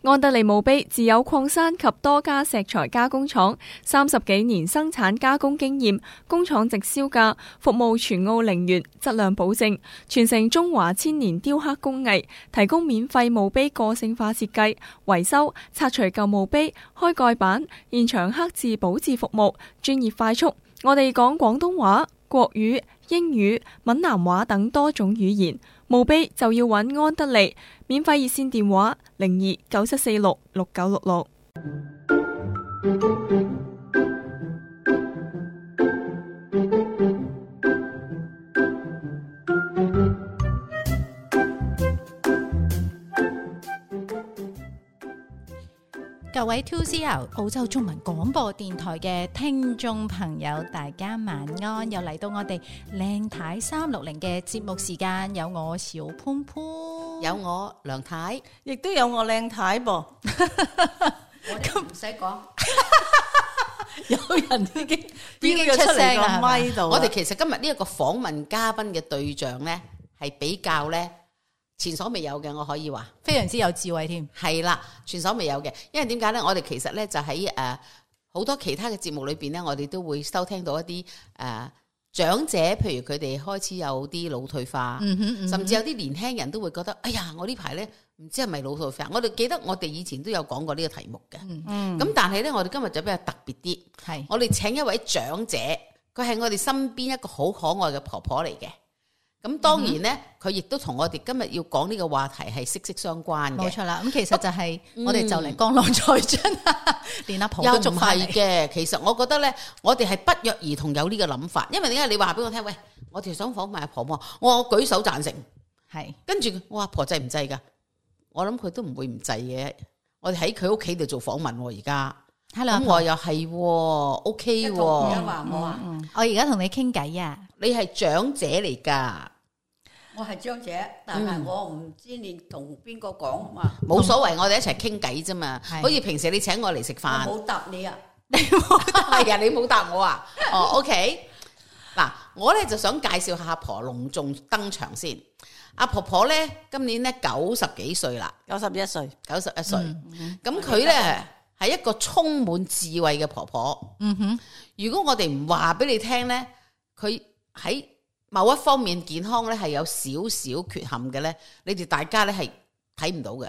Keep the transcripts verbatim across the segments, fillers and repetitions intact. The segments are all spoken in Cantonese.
安德利墓碑自有礦山及多家石材加工廠，三十幾年生產加工經驗，工廠直銷價，服務全澳陵園，質量保證，傳承中華千年雕刻工藝，提供免費墓碑個性化設計、維修、拆除舊墓碑、開蓋板、現場刻字保質服務，專業快速。我哋講廣東話、國語、英語、閩南話等多種語言。墓碑就要揾安德利，免費熱線電話零二九七四六六九六六。各位 two C R 澳洲中文廣播電台嘅聽眾朋友，大家晚安，又嚟到我哋靚太三六零嘅節目時間，有我小潘潘，有我梁太，亦都有我靚太噃。我哋唔使講，有人已經已經出聲啦，咪度。我哋其實今日呢一個訪問嘉賓嘅對象咧，係比較咧前所未有嘅，我可以話非常之有智慧添。係啦，前所未有嘅，因為點解咧？我哋其實咧就喺誒好多其他嘅節目裏邊咧，我哋都會收聽到一啲誒、呃、長者，譬如佢哋開始有啲腦退化，嗯哼嗯哼，甚至有啲年輕人都會覺得，哎呀，我呢排咧唔知係咪腦退化。我哋記得我哋以前都有講過呢個題目嘅，咁、嗯、但係咧，我哋今日就比較特別啲，係我哋請一位長者，佢係我哋身邊一個好可愛嘅婆婆嚟嘅。咁當然咧，佢亦都同我哋今日要講呢個話題係息息相關嘅。冇錯啦，咁其實就係我哋就嚟江郎才盡，連阿婆都捉翻嚟。又唔係嘅，其實我覺得咧，我哋係不約而同有呢個諗法。因為點解你話俾我聽？喂，我哋想訪問阿婆婆，我話我舉手贊成。係，跟住我話婆制唔制噶？我諗佢都唔會唔制嘅。我哋喺佢屋企度做訪問，而家咁我又係 OK 喎。我而家同你傾偈啊，你係長者嚟噶。我係長者，但係我唔知你同邊個講嘛。冇所謂，我哋一齊傾偈啫嘛。好似平時你請我嚟食飯，我冇答你啊，你冇答係啊，你冇答我啊。哦，OK。嗱，我咧就想介紹下阿婆隆重登場先。阿婆婆咧今年咧九十幾歲啦，九十一歲，九十一歲。咁佢咧係一個充滿智慧嘅婆婆。嗯哼。如果我哋唔話俾你聽咧，佢喺某一方面健康咧係有少少缺陷嘅咧，你哋大家咧係睇唔到嘅，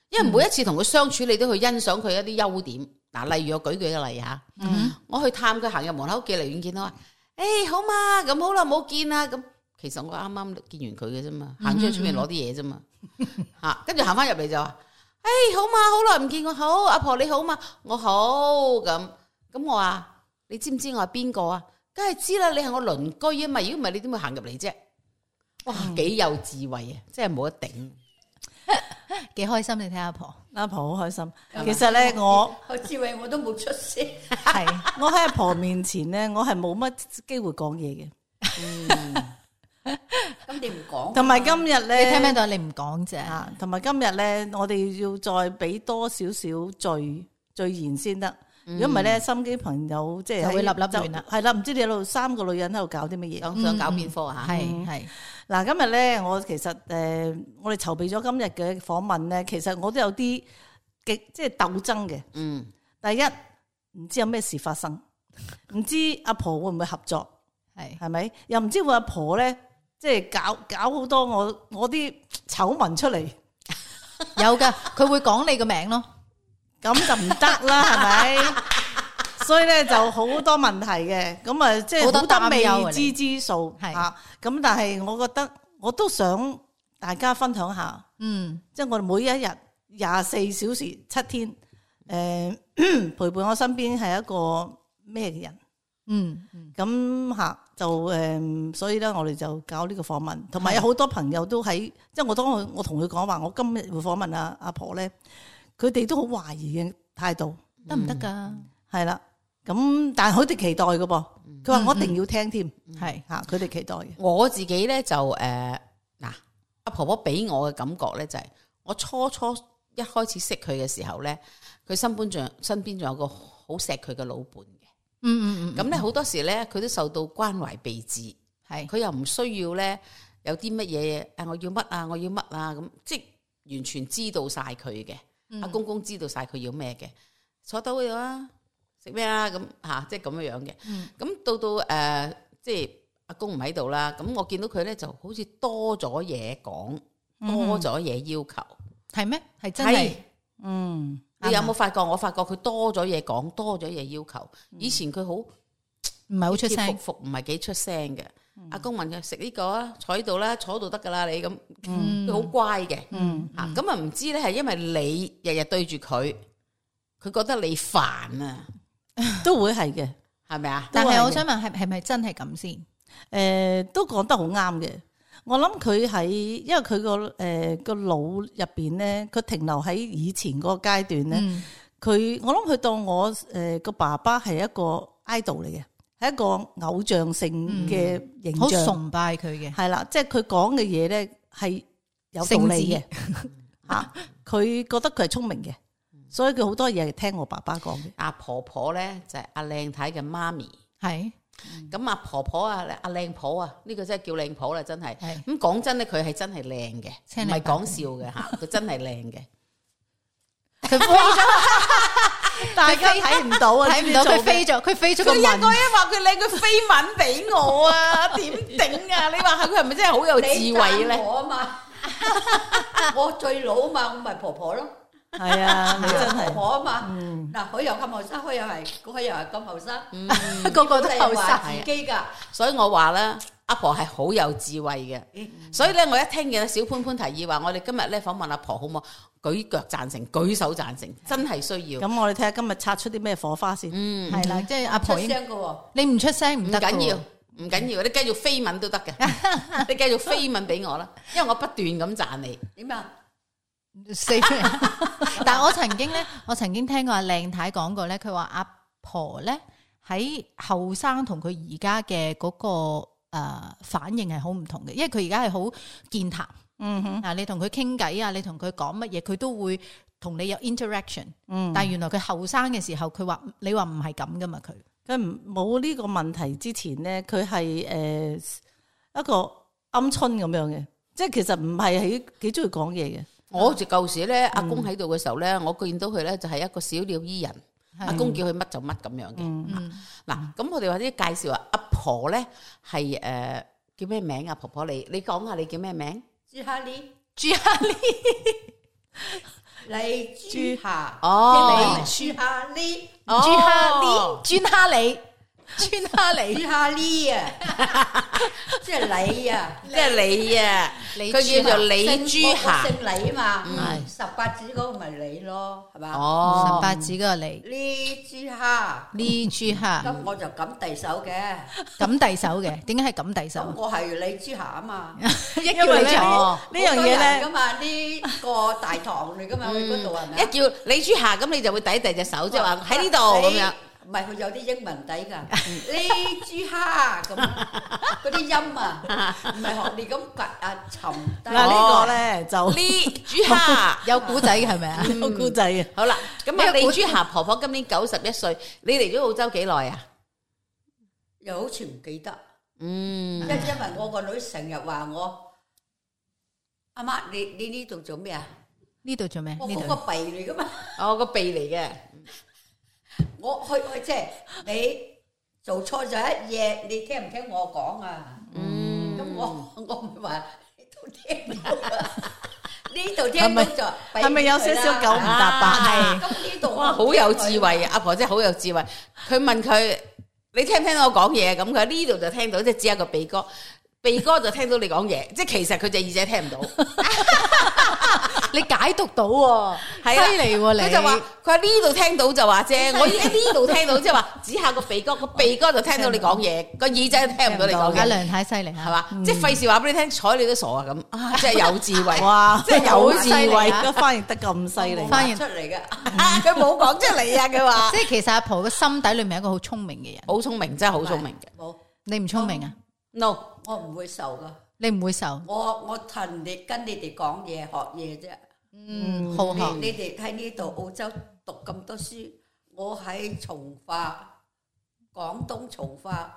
因為每一次同佢相處，你都去欣賞佢一啲優點。嗱，例如我舉舉個例吓，嗯、我去探佢行入門口，寄離遠見到話，誒、欸、好嘛，咁好啦，冇見啦，咁其實我啱啱見完佢嘅啫嘛，行出去出面攞啲嘢啫嘛，吓，跟住行翻入嚟就話，誒、欸、好嘛，好耐唔見我，好，阿婆你好嘛，我好，咁咁我話你知唔知我係邊個啊？梗係知啦，你係我鄰居啊嘛，如果唔係你點會行入嚟啫？哇，幾有智慧啊，真係冇得頂，幾開心！你睇阿婆，阿婆好開心。其實咧，我我智慧我都冇出聲，係我喺阿婆面前咧，我係冇乜機會講嘢嘅。嗯，咁你唔講，同埋今日咧，你聽唔聽到？你唔講啫。同埋今日咧，我哋要再俾多少少序序言先得。如果唔係咧，心機朋友即係就會立立亂啦。係啦，唔知你喺度三個女人喺度搞啲乜嘢？想想搞邊科吓？係係嗱，今日咧，我其實誒、呃，我哋籌備咗今日嘅訪問咧，其實我都有啲極即係鬥爭嘅。嗯，第一唔知有咩事發生，唔知阿婆會唔會合作？係係咪？又唔知會阿婆咧，即係搞搞好多我我啲醜聞出嚟。有噶，佢會講你個名咯。咁就唔得啦，係咪？所以咧就好多問題嘅，咁啊即係好多未知之數吓。咁但係我覺得我都想大家分享下，嗯，即係我哋每一日廿四小時七天，誒、呃、陪伴我身邊係一個咩嘅人，嗯，咁吓就誒、呃，所以咧我哋就搞呢個訪問，同埋有好多朋友都喺，即係我當我我同佢講話，我今日會訪問阿阿婆咧。佢哋都好懷疑嘅態度，得唔得噶？係啦，咁但係佢哋期待嘅噃，佢話我一定要聽添，係吓佢哋期待嘅。我自己咧就誒嗱，阿婆婆俾我嘅感覺咧就係，我初初一開始識佢嘅時候咧，佢身邊仲身邊仲有個好錫佢嘅老伴嘅，嗯嗯嗯，咁咧好多時咧佢都受到關懷備至，係佢又唔需要咧有啲乜嘢誒，我要乜啊，我要乜啊咁，即係完全知道晒佢嘅。阿公公知道晒佢要咩嘅，坐到嗰度啊，食咩啊咁吓，即係咁樣樣嘅。咁、嗯、到到誒、呃，即係阿公唔喺度啦，咁我見到佢咧就好似多咗嘢講，多咗嘢要求，係咩、嗯？係真係，嗯，你有冇發覺？我發覺佢多咗嘢講，多咗嘢要求。以前佢好唔係好出聲，服服唔係幾出聲嘅。阿公問佢食呢個啊，坐喺度啦，坐度得噶啦，你咁，佢好乖嘅，吓咁啊唔知咧係因為你日日對住佢，佢覺得你煩啊，都會係嘅，係咪啊？但係我想問係係咪真係咁先？誒、呃，都講得好啱嘅。我諗佢喺，因為佢個誒個腦入邊咧，佢停留喺以前嗰個階段咧，佢、嗯、我諗佢當我誒個、呃、爸爸係一個 idol 嚟嘅。係一個偶像性嘅形象，好、嗯、崇拜佢嘅，係啦，即係佢講嘅嘢咧係有道理嘅，吓佢覺得佢係聰明嘅，所以佢好多嘢係聽我爸爸講嘅。阿婆婆咧就係阿靚太嘅媽咪，係咁阿婆婆啊，阿靚婆啊，呢、這個真係叫靚婆啦，真係。咁講真咧，佢係真係靚嘅，唔係講笑嘅吓，佢真係靚嘅。佢飛咗，大家睇唔到啊！睇唔到佢飛咗，佢飛咗個文。佢一個一話佢靚，佢飛吻俾我啊！點頂啊？你話下佢係咪真係好有智慧咧？我啊嘛，我最老啊嘛，我咪婆婆咯。係啊，你真係婆婆啊嘛。嗱，佢又咁後生，佢又係，佢又係咁後生，個個都後生自己噶。所以我話咧，阿婆係好有智慧嘅。所以咧，我一聽見小潘潘提議話，我哋今日咧訪問阿婆好唔好？舉腳贊成，舉手贊成，真係需要。咁我哋睇下今日擦出啲咩火花先。嗯，係啦，即係阿婆出聲嘅，你唔出聲唔得。唔緊要，唔緊要，你繼續飛吻都得嘅，你繼續飛吻俾我啦，因為我不斷咁讚你。點啊？死！但係我曾經咧，我曾經聽過阿靚太講過咧，佢話阿婆咧喺後生同佢而家嘅嗰個誒、呃、反應係好唔同嘅，因為佢而家係好健談。嗯哼，啊，你同佢傾偈啊，你同佢講乜嘢，佢都會同你有 interaction。嗯，但係原來佢後生嘅時候，佢話你話唔係咁噶嘛，佢佢唔冇呢個問題之前咧，佢係誒一個鵪鶉咁樣嘅，即係其實唔係喺幾中意講嘢嘅。我就舊時咧，阿公喺度嘅時候咧，我見到佢咧就係一個小鳥依人，阿公叫佢乜就乜咁樣嘅。嗱，咁我哋或者介紹下阿婆咧係誒叫咩名啊？婆婆你你講下你叫咩名？朱哈利，朱哈利，李朱夏，哦，李朱哈利，朱哈利，朱哈利，朱哈利，朱哈利啊，即係你啊，即係你啊，佢叫做李朱夏，姓李嘛，十八子嗰個咪你咯，係嘛？哦，十八子嗰個李，李朱夏，李朱夏，咁我就咁遞手嘅，咁遞手嘅，點解係咁遞手？我係李朱夏啊嘛，一叫李朱夏呢樣嘢咧，咁啊呢個大堂嚟噶嘛，去嗰度係咪？一叫李朱夏，咁你就會遞遞隻手，即係話喺呢度咁樣。唔係佢有啲英文底㗎，呢豬蝦咁嗰啲音啊，唔係學你咁掘啊沉低。嗱呢個咧就呢豬蝦有古仔嘅係咪啊？有古仔嘅。好啦，咁啊李豬蝦婆婆今年九十一歲，你嚟咗澳洲幾耐啊？又好似唔記得，嗯，因因為我個女成日話我阿媽，你你呢度做咩啊？呢度做咩？我嗰個鼻嚟㗎嘛。哦，個鼻嚟嘅。我去去即係你做錯咗一嘢，你聽唔聽我講啊？嗯，咁我我唔係話呢度聽到啊，呢度聽到就係咪有少少九唔搭八？係咁呢度哇，好有智慧啊！阿婆真係好有智慧。佢問佢你聽唔聽到我講嘢？咁佢喺呢度就聽到，即係只有個鼻哥，鼻哥就聽到你講嘢，即係其實佢隻耳仔聽唔到。你解讀到喎，犀利喎你。佢就話佢喺呢度聽到就話啫，我喺呢度聽到即係話指下個鼻哥，個鼻哥就聽到你講嘢，個耳仔聽唔到你講嘢。阿梁太犀利係嘛？即係費事話俾你聽，睬你都傻啊咁，啊即係有智慧，哇！即係有智慧，個翻譯得咁犀利，翻譯出嚟嘅，佢冇講出嚟啊！佢話，即係其實阿婆個心底裏面係一個好聰明嘅人，好聰明，真係好聰明嘅。冇，你唔聰明啊 ？No，我唔會受噶，你唔會受。我我同你跟你哋講嘢學嘢啫。嗯，好學。你哋喺呢度澳洲讀咁多書，我喺從化，廣東從化，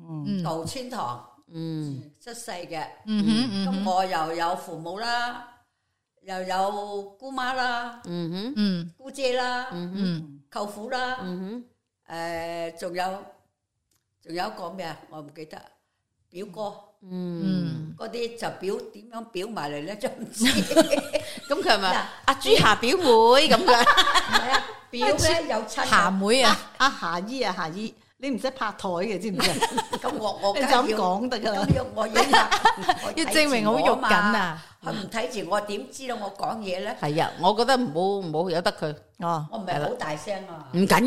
嗯，舊村堂，嗯，出世嘅，嗯哼，咁我又有父母啦，又有姑媽啦，嗯哼，嗯姑姐啦，嗯舅父啦，嗯誒仲有仲有一個咩啊？我唔記得表哥。哼，嗯，嗯，嗰啲就表點樣表埋嚟咧，就唔知。咁佢係咪嗱阿朱霞表妹咁嘅？唔係啊，表咧有親霞妹啊，阿霞姨啊，霞姨，你唔使拍台嘅，知唔知啊？咁我我你就咁梗係要講得㗎啦咁。要我要拍要證明好肉緊！啊！佢唔睇住我點知道我講嘢咧？係啊，我覺得唔好唔好由得佢，哦，我唔係好大聲啊唔！緊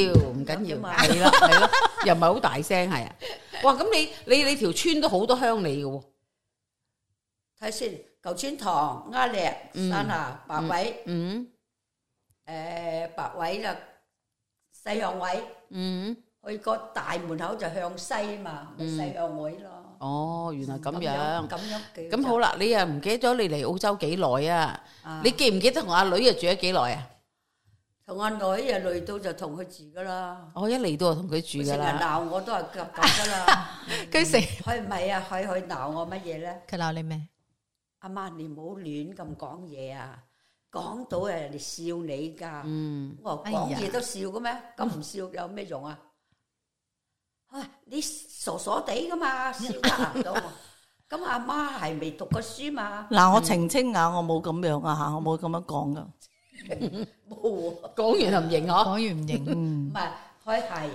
要，唔緊要，咁啊係啦係啦，又唔係好大聲係啊。哇，咁你你你條村都好多鄉里嘅喎。睇先，舊村塘、鴉嶺、山下、白位、嗯誒白位啦，西向位，嗯，去個大門口就向西嘛，咪西向位咯。哦，原來咁樣。咁樣嘅。咁好啦，你又唔記得咗你嚟澳洲幾耐啊？啊，你記唔記得同阿女啊住咗幾耐啊？同阿女啊累到就同佢住噶啦。我一嚟到就同佢住成日噶啦。鬧我都係咁咁噶啦。佢成佢唔係啊，佢佢鬧我乜嘢咧？佢鬧你咩？阿媽，你唔好亂咁講嘢啊！講到人哋笑你㗎。嗯，我話哎呀講嘢都笑嘅咩？咁唔笑有咩用啊？啊，你傻傻地噶嘛，笑得唔到。咁阿媽係未讀過書嘛？嗱，我澄清下，我冇咁樣啊嚇，我冇咁樣講噶。冇喎，講完就唔認講嗬。完唔認，唔係佢係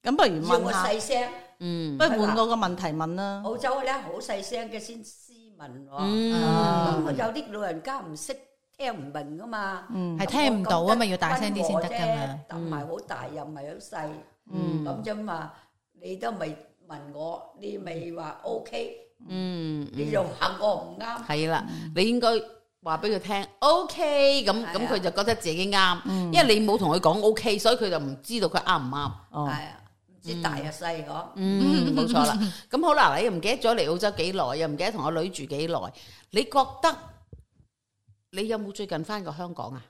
咁不如要我問下，細聲。嗯不如換我個問題問啦。澳洲咧好細聲嘅先斯文喎。嗯，咁有啲老人家唔識聽唔明噶嘛，係聽唔到啊嘛，要大聲啲先得噶嘛。但唔係好大又唔係好細，嗯咁啫嘛。你都未問我，你未話 O K，嗯，你又話我唔啱，係啦，你應該話俾佢聽，OK，咁咁佢就覺得自己啱，因為你冇同佢講 OK，所以佢就唔知道佢啱唔啱。哦，係啊，唔知大又細嗬。嗯，冇錯啦。咁好啦，你又唔記得咗嚟澳洲幾耐，又唔記得同我女住幾耐，你覺得你有冇最近翻過香港啊？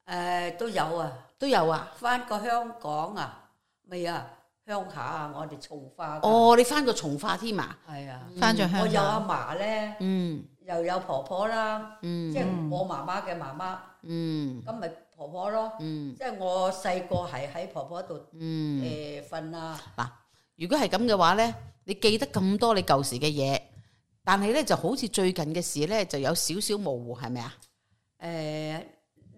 誒都有啊，都有啊。翻過香港啊，未啊，鄉下啊，我哋從化㗎。哦，你翻過從化添啊？係啊，翻咗我有阿鄉嫲咧，嗯又有婆婆啦，嗯即係我媽媽嘅媽媽，嗯咁咪婆婆咯。嗯即係我細個係喺婆婆度嗯。誒瞓啊，嗱，如果係咁嘅話咧，你記得咁多你舊時嘅嘢，但係咧就好似最近嘅事咧就有少少模糊，係咪啊？誒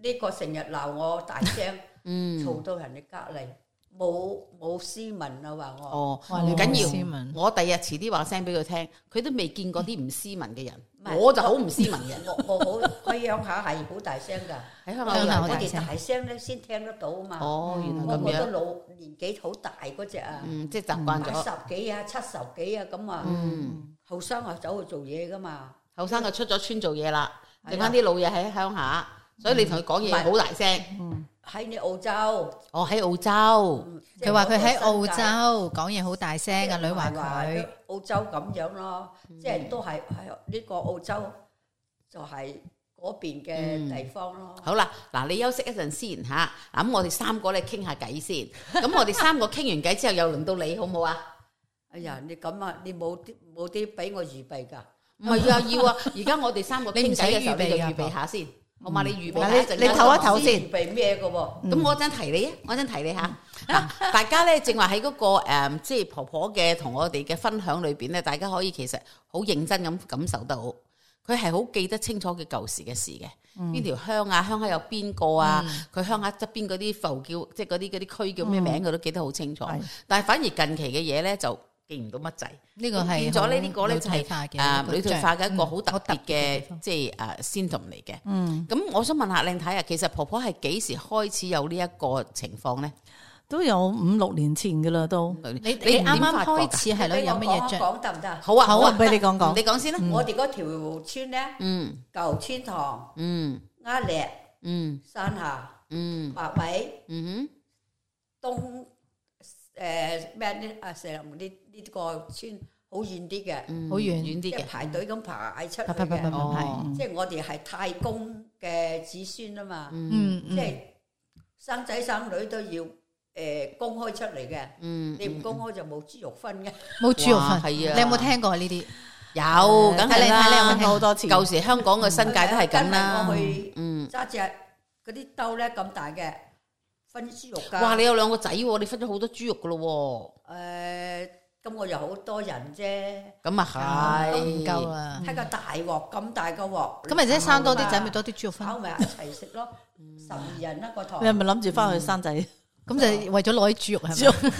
呢個成日鬧我大聲，嗯，嘈到人哋隔離，冇冇斯文啊話我。哦，哇你唔緊冇斯文要，我第日遲啲話聲俾佢聽，佢都未見過啲唔斯文嘅人，唔係我就好唔斯文嘅。我我好喺鄉下係好大聲㗎，喺香港鄉下好我大聲哋大聲咧先聽得到啊嘛。哦，原來咁我我都樣，老年紀好大嗰只啊，嗯，即係習慣八咗。十幾啊、七十幾啊咁啊，嗯，後生啊走去做嘢㗎嘛。後生就出咗村做嘢啦，係啊剩翻啲老嘢喺鄉下，所以你同佢講嘢唔係好大聲。喺你澳洲，我喺澳洲，佢話佢喺澳即係洲講嘢好大聲，係阿女話唔係話佢澳洲咁樣咯，即係都係係呢個澳洲就係嗰邊嘅地方咯。好啦，嗱，你休息一陣先嚇，嗱咁我哋三個咧傾下偈先，咁我哋三個傾完偈之後，又輪到你好唔好啊？哎呀，你咁啊，你冇啲冇啲俾我預備㗎？唔係啊，要啊！而家我哋三個傾偈嘅時候，你唔使預備你就㗎預備下先，好嘛？你預備嗱下一陣間你你唞一唞先預備咩嘅喎？咁我陣提你啊，我陣提你嚇。嗱，大家咧正話喺嗰個誒，即係婆婆嘅同我哋嘅分享裏邊咧，大家可以其實好認真咁感受到，佢係好記得清楚佢舊時嘅事嘅。邊條鄉啊？鄉下有邊個啊？佢鄉下側邊嗰啲埠叫，即係嗰啲嗰啲區叫咩名，佢都記得好清楚。但係反而近期嘅嘢咧就記唔到乜滯。呢個係變咗呢呢個咧就係係誒女退化嘅一個好特別好特別嘅地嘅方即係誒 symptom 嚟嘅。嗯，咁我想問下靚太啊，其實婆婆係幾時開始有呢一個情況咧？都有五六年前噶啦，都。你你你啱啱點發覺㗎開始係咯，俾我有乜嘢講一着？講得唔得啊？好啊，好啊，俾你講講。你講先啦。我哋嗰條村咧，嗯舊村塘、嗯鴉嶺、嗯山下、嗯白尾、嗯東誒咩呢？啊，成呢呢個村好遠啲嘅，哼，好遠遠啲嘅。即係排隊咁排出去啪啪啪啪嘅。哦係，即係我哋係太公嘅子孫啊嘛，嗯嗯，即係生仔生女都要誒公開出嚟嘅。嗯，你唔公開就冇豬肉分嘅。冇豬肉哇分，係啊你有冇聽過呢啲？有，梗係睇你睇你有冇聽啦，好多次。舊時香港嘅新界都係咁啦我。去嗯，揸隻嗰啲兜咧咁大嘅分豬肉㗎。哇！你有兩個仔喎，你分咗好多豬肉噶咯誒，咁我又好多人啫，喎。咁啊係，唔夠啊！睇個大鑊咁大個鑊，咁咪即係生多啲仔，咪多啲豬肉分。炒埋一齊食咯，十二人一個台。你係咪諗住翻去生仔？咁就為咗攞啲豬肉係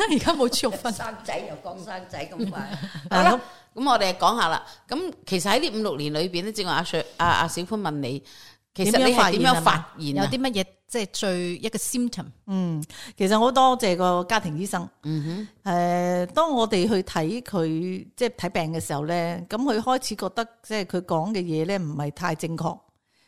咪？而家冇豬肉分。生仔又講生仔咁快，好啦，咁我哋講下啦。咁其實喺呢五六年裏邊咧，正話阿 Sir 阿阿小潘問你，其實你係點樣發現啊？有啲乜嘢即係最一個 symptom？嗯，其實好多謝個家庭醫生。嗯誒、呃，當我哋去睇佢即係睇病嘅時候咧，咁佢開始覺得即係佢講嘅嘢咧唔係太正確，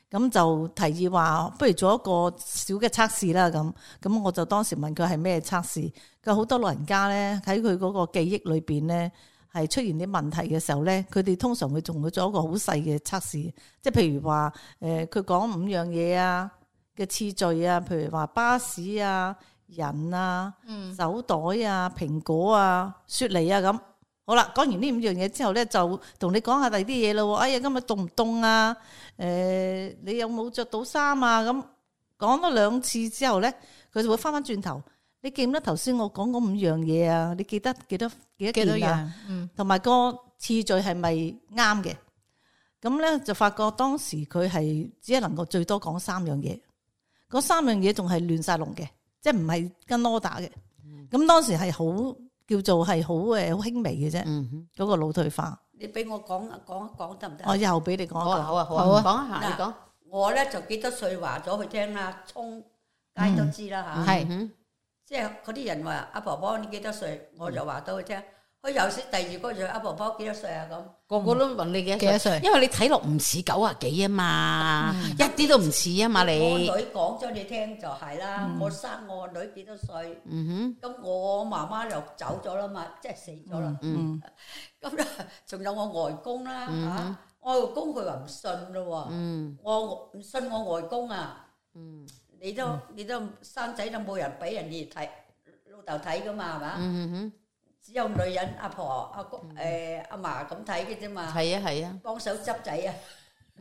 咁就提議話不如做一個小嘅測試啦。咁咁我就當時問佢係咩測試？佢好多老人家咧喺佢嗰個記憶裏邊咧係出現啲問題嘅時候咧，佢哋通常會仲會做一個好細嘅測試，即係譬如話誒佢講五樣嘢啊嘅次序啊，譬如話巴士啊、人啊、手袋啊、蘋果啊、雪梨啊咁。好啦，講完呢五樣嘢之後咧，就同你講下第二啲嘢咯。哎呀，今日凍唔凍啊？誒、呃，你有冇着到衫啊？咁講咗兩次之後咧，佢就會翻翻轉頭。你記唔記得頭先我講嗰五樣嘢啊？你記得幾多幾多幾多件啊？樣？嗯，同埋個次序係咪啱嘅？咁咧就發覺當時佢係只係能夠最多講三樣嘢，嗰三樣嘢仲係亂晒龍嘅，即係唔係跟 order 嘅。咁、嗯、當時係好叫做係好誒好輕微嘅啫，嗰、嗯、個腦退化。你俾我講講一講得唔得？我又俾你講好啊，一講。好啊，好好啊啊，講一下你講。我咧就幾多歲話咗佢聽啦，衝街都知啦嚇。係嗯即係嗰啲人話阿婆婆你幾多歲，我就話到佢聽。佢又識第二個就阿婆婆幾多歲啊咁。個個都問你幾幾多歲因為你睇落唔似九啊幾啊嘛，一啲都唔似啊嘛我你。女講咗你聽就係啦，我生我個女幾多歲，嗯咁我媽媽又走咗啦嘛，即係死咗啦。嗯咁咧仲有我外公啦嚇，我外公佢話唔信咯喎，我唔信我外公啊。你都你都生仔都冇人俾人哋睇老豆睇噶嘛係嘛？嗯哼，只有女人阿婆阿公誒阿嫲咁睇嘅啫嘛，係啊係啊。幫手執仔啊。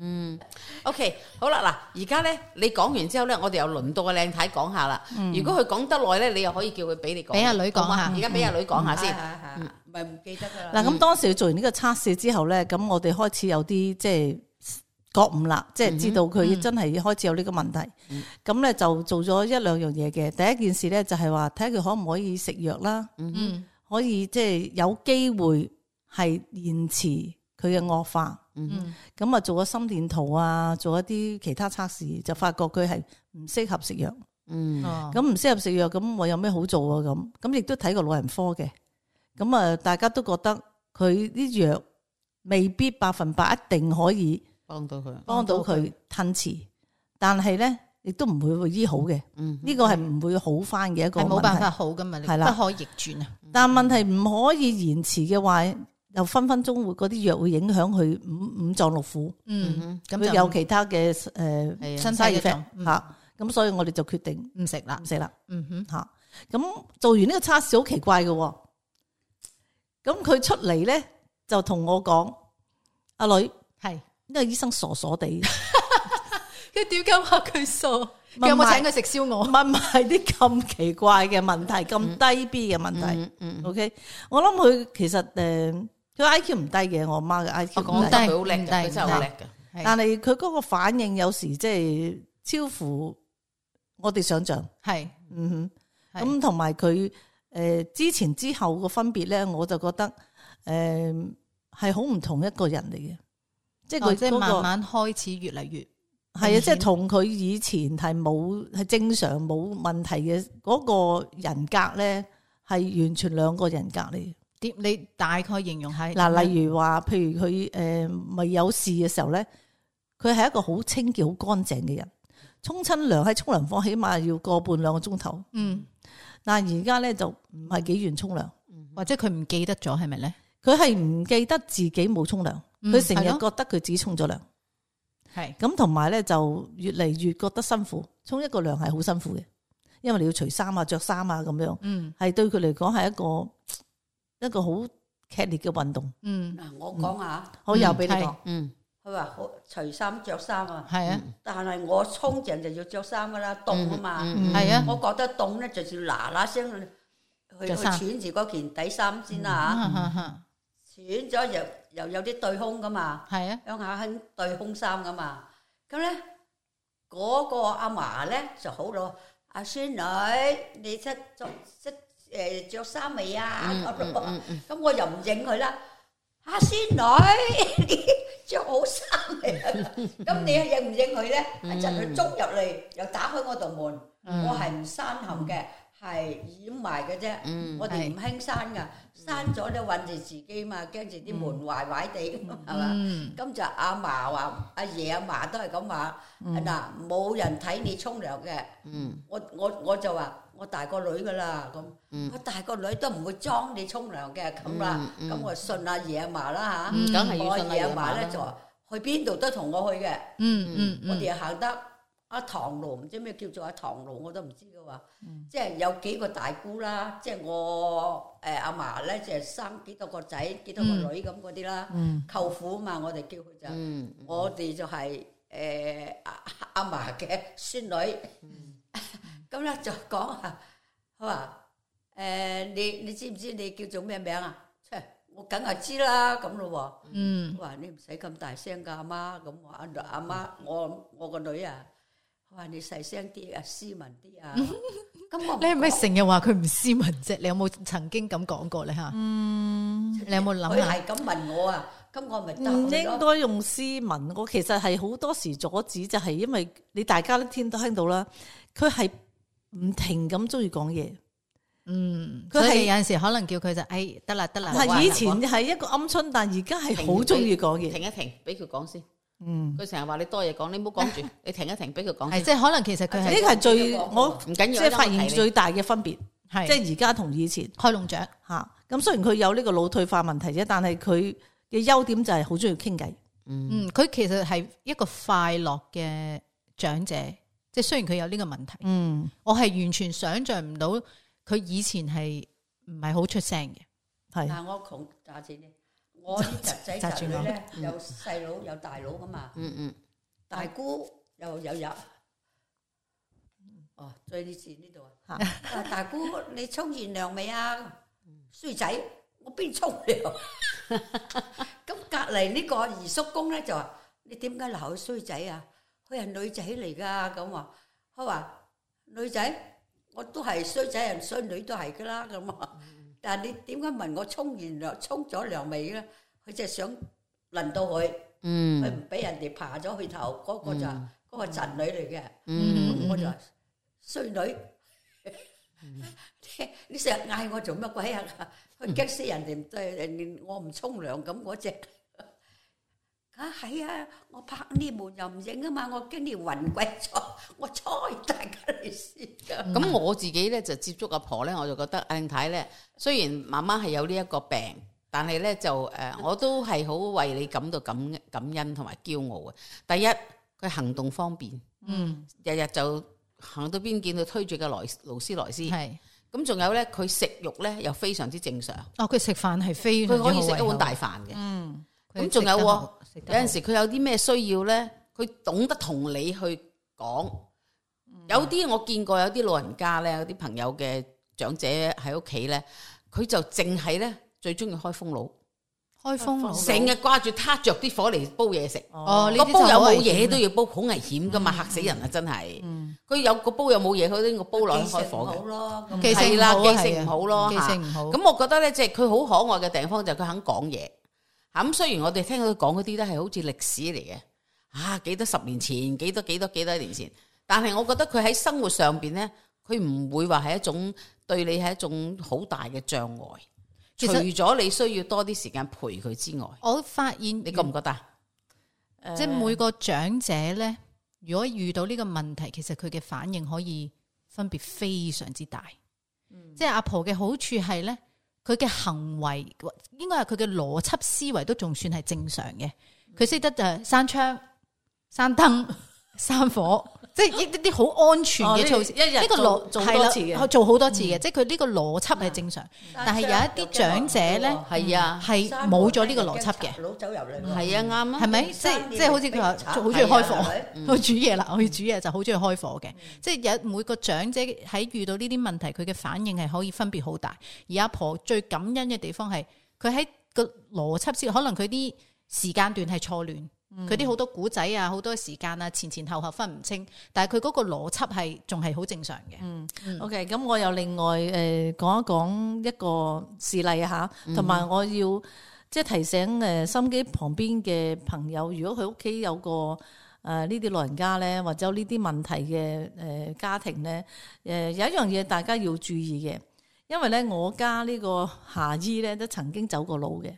嗯，OK，好啦，嗱，而家咧你講完之後咧，我哋又輪到個靚太講下啦。如果佢講得耐咧，你又可以叫佢俾你講，俾阿女講下。而家俾阿女講下先。係係係，唔係唔記得噶啦。嗱，咁當時做完呢個測試之後咧，咁我哋開始有啲即係覺悟啦，即係知道佢真係開始有呢個問題。咁咧就做咗一兩樣嘢嘅。第一件事咧就係話睇下佢可唔可以食藥啦，嗯，可以即係有機會係延遲佢嘅惡化。嗯，咁啊做咗心電圖啊，做一啲其他測試，就發覺佢係唔適合食藥。嗯，咁唔適合食藥，咁我有咩好做啊？咁咁亦都睇過老人科嘅。咁啊，大家都覺得佢啲藥未必百分百一定可以幫到佢，幫到佢吞遲，但係咧亦都唔會會醫好嘅。嗯，呢個係唔會好翻嘅一個問題。係冇辦法好噶嘛，係啦不可逆轉啊。但問題唔可以延遲嘅話，又分分鐘會嗰啲藥會影響佢五五臟六腑，嗯，咁會就有其他嘅誒係啊身體 side 嘅 effect 嚇。咁所以我哋就決定唔食啦唔。食啦。嗯哼，吓，咁做完呢個測試好奇怪嘅，咁佢出嚟咧就同我講：阿女，係呢個醫生傻傻地，佢點解話佢傻？唔係佢有冇請佢食燒鵝？問埋啲咁奇怪嘅問題，咁低 B 嘅問題。嗯嗯， OK，我諗佢其實誒，佢 I Q 唔低嘅，我媽嘅 I Q 唔低，我講得佢好叻嘅，唔低佢真係好叻嘅。係但係佢嗰個反應有時即係超乎我哋想象。係嗯哼。係咁同埋佢誒之前之後個分別咧，我就覺得誒係好唔同一個人嚟嘅，即係佢哦即係嗰個慢慢開始越嚟越係啊，即係同佢以前係冇係正常冇問題嘅嗰個人格咧，係完全兩個人格嚟嘅。點？你大概形容下嗱，例如話，譬如佢誒未有事嘅時候咧，佢係一個好清潔、好乾淨嘅人，沖親涼喺沖涼房起碼要個半兩個鐘頭。嗯，但係而家咧就唔係幾願沖涼。或者佢唔記得咗係咪咧？佢係唔記得自己冇沖涼，嗯佢成日係咯覺得佢自己沖咗涼，係咁同埋咧就越嚟越覺得辛苦，沖一個涼係好辛苦嘅，因為你要除衫啊、着衫啊咁樣，嗯係對佢嚟講係一個一個好劇烈嘅運動。嗯，嗱，我講下，好，又俾你講。嗯，佢話好除衫着衫啊，係啊，但係我沖涼就要着衫噶啦，凍啊嘛，係啊，我覺得凍咧就要嗱嗱聲去去着衫穿住嗰件底衫先啦嚇，嚇，穿咗又又有啲對胸噶嘛，係啊，鄉下興對胸衫噶嘛，咁咧嗰個阿嫲咧就好咯，阿孫女你識着識誒著衫未啊？咁咯，咁我又唔應佢啦，阿孫女你着好衫未啊？咁你應唔應佢咧？一陣佢捉入嚟又打開我道門，我係唔閂冚嘅。係掩埋嘅啫，我哋唔興閂噶，閂咗咧韞住自己嘛，驚住啲門壞壞地咁係嘛。咁就阿嫲話，阿爺阿嫲都係咁話，嗱冇人睇你沖涼嘅。我我我就話我大個女噶啦，咁我大個女都唔會裝你沖涼嘅咁啦。咁我信阿爺阿嫲啦嚇，梗係要我信阿爺爺阿嫲咧嫲啦。就話去邊度都同我去嘅。嗯嗯我哋行得阿唐路，唔知咩叫做阿唐路，我都唔知嘅話，即係有幾個大姑啦，即係我誒阿嫲咧，就係生幾多個仔，幾多個女咁嗰啲啦，舅父啊嘛，我哋叫佢就，我哋就係誒阿阿嫲嘅孫女，咁咧就講啊，佢話誒你你知唔知你叫做咩名啊？我梗係知啦，咁咯喎，嗯，我話你唔使咁大聲㗎，阿媽，咁我阿阿媽，我我個女啊。我話你細聲啲啊，斯文啲啊。咁我你係咪成日話佢唔斯文啫？你有冇曾經咁講過咧嚇？嗯，你有冇諗下？佢係咁問我啊，咁我咪答唔佢咯。應該用斯文，我其實係好多時阻止，就係因為你大家都聽都聽到啦，佢係唔停咁中意講嘢。嗯，佢係佢係有陣時可能叫佢就誒得啦得啦。係以前係一個鵪鶉，但而家係好中意講嘢。停一停，俾佢講先。嗯，佢成日話你多嘢講，你唔好講住，你停一停，俾佢講先。係即係可能其實佢係呢個係最我唔緊要，即係發現最大嘅分別，係即係而家同以前開籠雀嚇。咁雖然佢有呢個腦退化問題啫，但係佢嘅優點就係好中意傾偈。嗯，佢其實係一個快樂嘅長者，即係雖然佢有呢個問題，嗯，我係完全想像唔到佢以前係唔係好出聲嘅，係嗱，我窮揸住你，我啲侄仔侄女咧有細佬有大佬噶嘛，嗯嗯，大姑又有入。哦，追呢字呢度啊！啊，大姑你沖完涼未啊？衰仔，我邊沖涼？咁隔離呢個二叔公咧就話：你點解鬧佢衰仔啊？佢係女仔嚟噶，咁話。佢話女仔，我都係衰仔人，衰女都係噶啦，咁啊。但係你點解問我沖完涼沖咗涼未咧？佢就係想輪到佢，嗯，佢唔俾人哋爬咗去頭，嗰個就嗰個侄女嚟嘅。嗯，我就話衰女，你成日嗌我做乜鬼啊？佢激死人哋唔對，人我唔沖涼咁嗰隻。啊係啊，我拍呢門又唔影啊嘛，我驚你暈鬼咗，我睬大家嚟先噶。咁我自己咧就接觸阿婆咧，我就覺得靚太咧，雖然媽媽係有呢一個病，但係咧就誒，我都係好為你感到感感恩同埋驕傲嘅。第一，佢行動方便，嗯，日日就行到邊見到推住個萊勞斯萊斯，係咁仲有咧，佢食肉咧又非常之正常，哦，佢食飯係非常佢可以食一碗之好胃口大飯嘅，嗯，咁仲有喎，有有陣時佢有啲咩需要咧，佢懂得同你去講。有啲我見過有啲老人家咧，有啲朋友嘅長者喺屋企咧，佢就淨係咧最中意開風爐，開風爐成日掛住撻着啲火嚟煲嘢食。哦，呢個啲煲有冇就好危險嘢都要煲，好危險噶嘛，嚇死人啊！真係。佢有個煲有冇嘢，佢呢個煲落去開火嘅。咯，記性係啦，唔好啊記性唔好咯，記嚇性唔好。咁我覺得咧，即係佢好可愛嘅地方就係佢肯講嘢。嚇咁雖然我哋聽佢講嗰啲都係好似歷史嚟嘅，啊幾多十年前，幾多幾多幾多年前，但係我覺得佢喺生活上邊咧，佢唔會話係一種對你係一種好大嘅障礙。其除實咗你需要多啲時間陪佢之外，我發現你覺唔覺得啊？即係每個長者咧，如果遇到呢個問題，其實佢嘅反應可以分別非常之大。嗯、即係阿婆嘅好處係咧，佢嘅行為應該係佢嘅邏輯思維都仲算係正常嘅。佢識得就係閂窗、閂燈、閂火，即係一啲好安全嘅措施，一日呢個邏做多次嘅，做好多次嘅，即係佢呢個邏輯係正常。但係有一啲長者咧，係啊，係冇咗呢個邏輯嘅。佬走入嚟，係啊，啱啊，係咪？即係即係好似佢話好中意開火，去煮嘢啦，去煮嘢就好中意開火嘅。即係有每個長者喺遇到呢啲問題，佢嘅反應係可以分別好大。而阿婆最感恩嘅地方係佢喺個邏輯先，可能佢啲時間段係錯亂。佢啲好多古仔啊，好多時間啊，前前後後分唔清，但係佢嗰個邏輯係仲係好正常嘅。嗯，嗯，OK，咁我又另外誒講一講一個事例啊吓，同埋我要即係提醒誒心機旁邊嘅朋友，如果佢屋企有個誒呢啲老人家咧，或者有呢啲問題嘅誒家庭咧，誒有一樣嘢大家要注意嘅，因為咧我家呢個夏姨咧都曾經走過路嘅。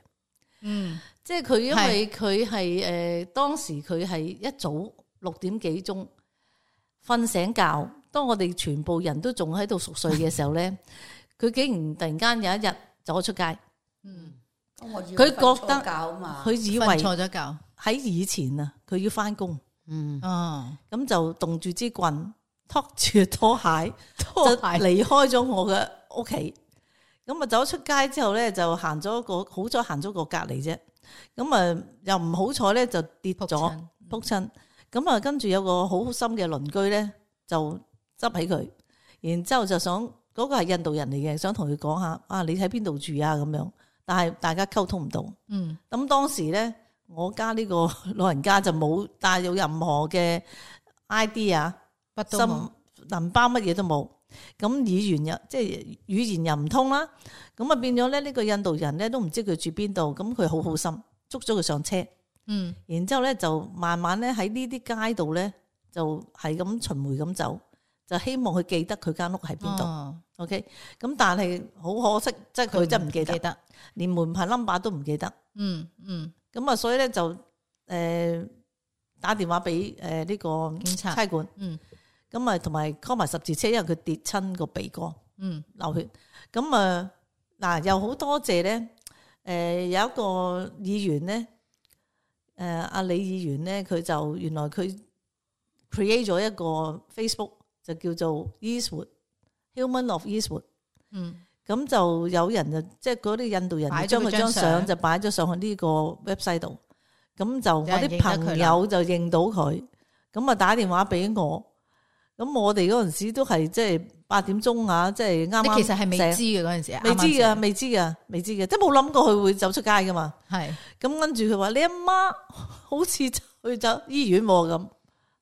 嗯，即係佢因為佢係誒當時佢係一早六點幾鐘瞓醒覺，當我哋全部人都仲喺度熟睡嘅時候咧，佢竟然突然間有一日走咗出街。嗯，佢覺得佢以為錯咗覺喺以前啊，佢要翻工。嗯，哦，咁就動住支棍，拖住拖鞋，拖鞋就離開咗我嘅屋企。咁啊，走出街之後咧，就行咗個好彩行咗個隔離啫。咁啊，又唔好彩咧，就跌咗仆親。咁啊，跟住有個好心嘅鄰居咧，就執起佢，然之後就想嗰個係印度人嚟嘅，想同佢講下啊，你喺邊度住啊咁樣。但係大家溝通唔到。嗯。咁當時咧，我家呢個老人家就冇帶有任何嘅 I D 啊，心銀包乜嘢都冇。咁語言又即係語言又唔通啦，咁啊變咗咧呢個印度人咧都唔知佢住邊度，咁佢好好心捉咗佢上車，嗯，然之後咧就慢慢咧喺呢啲街度咧就係咁巡迴咁走，就希望佢記得佢間屋喺邊度。哦、OK，咁但係好可惜，即係佢真係唔記得，記得連門牌 number 都唔記得。嗯嗯，咁啊所以咧就誒、呃、打電話俾誒呢個警察差館，嗯。咁啊，同埋 call 埋十字車，因為佢跌親個鼻哥，嗯，流血。咁啊，嗱，又好多謝咧。誒，有一個議員咧，誒，阿李議員咧，佢就原來佢 create 咗一個 Facebook，就叫做 Eastwood Human of Eastwood。嗯，咁就有人就即係嗰啲印度人將佢張相就擺咗上去呢個 website 度。咁就我啲朋友就認到佢，咁啊打電話俾我。咁我哋嗰陣時都係即係八點鐘啊，即係啱啱。你其實係未知嘅嗰陣時，未知噶，未知噶，未知嘅，即係冇諗過佢會走出街噶嘛。係咁跟住佢話：你阿媽好似去咗醫院咁，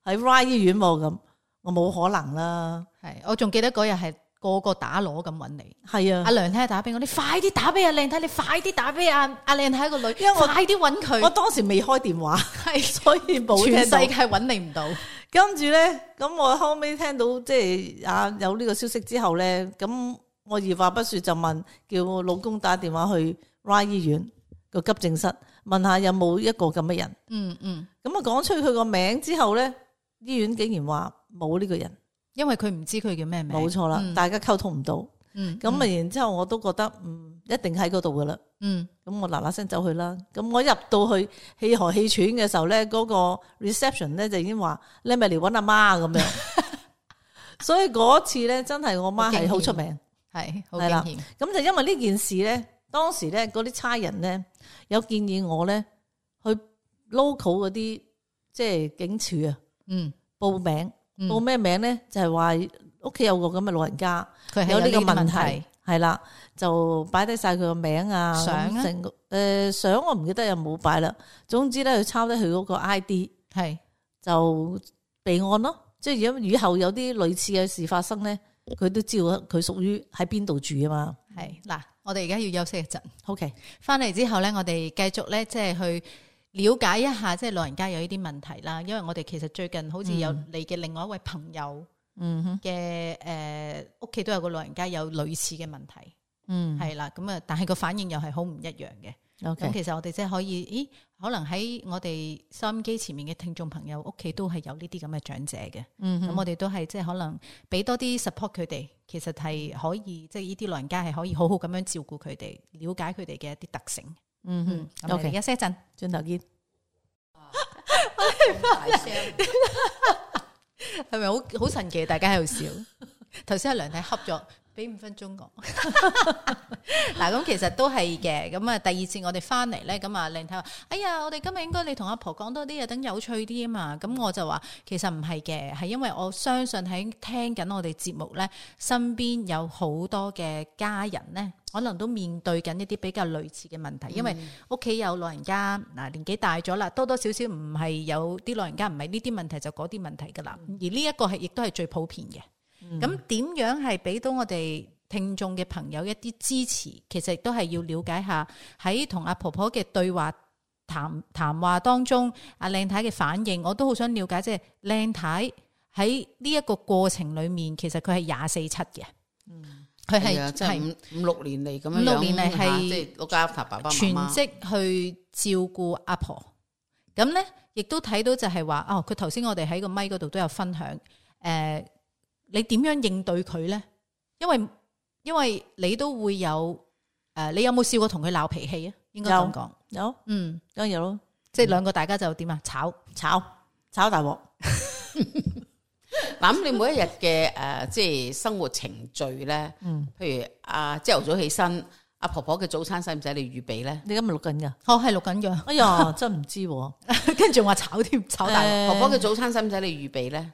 喺 Y 醫院咁，我冇可能啦。係，我仲記得嗰日係個個打鑼咁揾你。係啊，阿梁太打俾我，你快啲打俾阿靚太，你快啲打俾阿阿靚太個女，因為我快啲揾佢。我當時未開電話，係所以冇聽到，全世界揾你唔到。跟住咧，咁我後尾聽到即係啊有呢個消息之後咧，咁我二話不說就問，叫我老公打電話去 Y 醫院個急症室，問下有冇一個咁嘅人。嗯嗯。咁啊講出佢個名之後咧，醫院竟然話冇呢個人，因為佢唔知佢叫咩名。冇錯啦，嗯、大家溝通唔到。嗯。咁啊，然之後我都覺得嗯一定喺嗰度噶啦。嗯。咁我嗱嗱聲走去啦。咁我入到去氣寒氣喘嘅時候咧，嗰、那個 reception 咧就已經話你咪嚟搵阿媽咁樣。所以嗰次咧真係我媽係好出名，係好驚險。咁就因為呢件事咧，當時咧嗰啲差人咧有建議我咧去 local 嗰啲即係警署啊，嗯，報名，嗯、報咩名咧？就係話屋企有個咁嘅老人家，佢有呢個問題。係啦，就擺低晒佢個名啊，相啊，誒相我唔記得有冇擺啦。總之咧，佢抄低佢嗰個 I D， 係就備案咯。即係如果以後有啲類似嘅事發生咧，佢都知道佢屬於喺邊度住啊嘛。係嗱，我哋而家要休息一陣。OK，翻嚟之後咧，我哋繼續咧，即係去了解一下，即係老人家有呢啲問題啦。因為我哋其實最近好似有你嘅另外一位朋友。嗯哼嘅誒，屋企都有個老人家有類似嘅問題，嗯係啦，咁啊，但係個反應又係好唔一樣嘅。咁 Okay. 其實我哋即係可以，咦？可能喺我哋收音機前面嘅聽眾朋友屋企都係有呢啲咁嘅長者嘅，嗯哼，咁我哋都係即係可能俾多啲 support 佢哋，其實係可以，即係呢啲老人家係可以好好咁樣照顧佢哋，了解佢哋嘅一啲特性。嗯哼，咁我哋休息一陣，轉頭見。大聲。係咪好好神奇？大家喺度笑。頭先阿梁太恰咗，俾五分鐘我。嗱，咁其實都係嘅。咁啊，第二次我哋翻嚟咧，咁啊，靚太話：哎呀，我哋今日應該你同阿婆講多啲啊，等有趣啲啊嘛。咁我就話，其實唔係嘅，係因為我相信喺聽緊我哋節目咧，身邊有好多嘅家人咧，可能都面對緊一啲比較類似嘅問題，因為屋企有老人家，嗱年紀大咗啦，多多少少唔係有啲老人家唔係呢啲問題就嗰啲問題噶啦，而呢一個係亦都係最普遍嘅。咁點、嗯、樣係俾到我哋聽眾嘅朋友一啲支持？其實亦都係要了解下喺同阿婆婆嘅對話談談話當中，阿靚太嘅反應，我都好想了解，即係靚太喺呢一個過程裏面，其實佢係廿四七嘅，佢係即係五五六年嚟咁樣，五六年嚟係即係碌家爸爸媽媽全職去照顧阿婆。咁咧，亦都睇到就係話，哦，佢頭先我哋喺個咪嗰度都有分享，誒、呃。你點樣應對佢咧？因為因為你都會有誒、呃，你有冇試過同佢鬧脾氣啊？應該咁講，有，嗯，梗係有咯。即係兩個大家就點啊？炒炒炒大鑊。嗱，咁你每一日嘅誒，即係生活程序咧，嗯，譬如啊，朝頭早起身，阿婆婆嘅早餐使唔使你預備咧？你今日錄緊噶？哦，係錄緊噶。哎呀，真唔知、啊，跟住話炒添，炒大鑊。呃、婆婆嘅早餐使唔使你預備咧？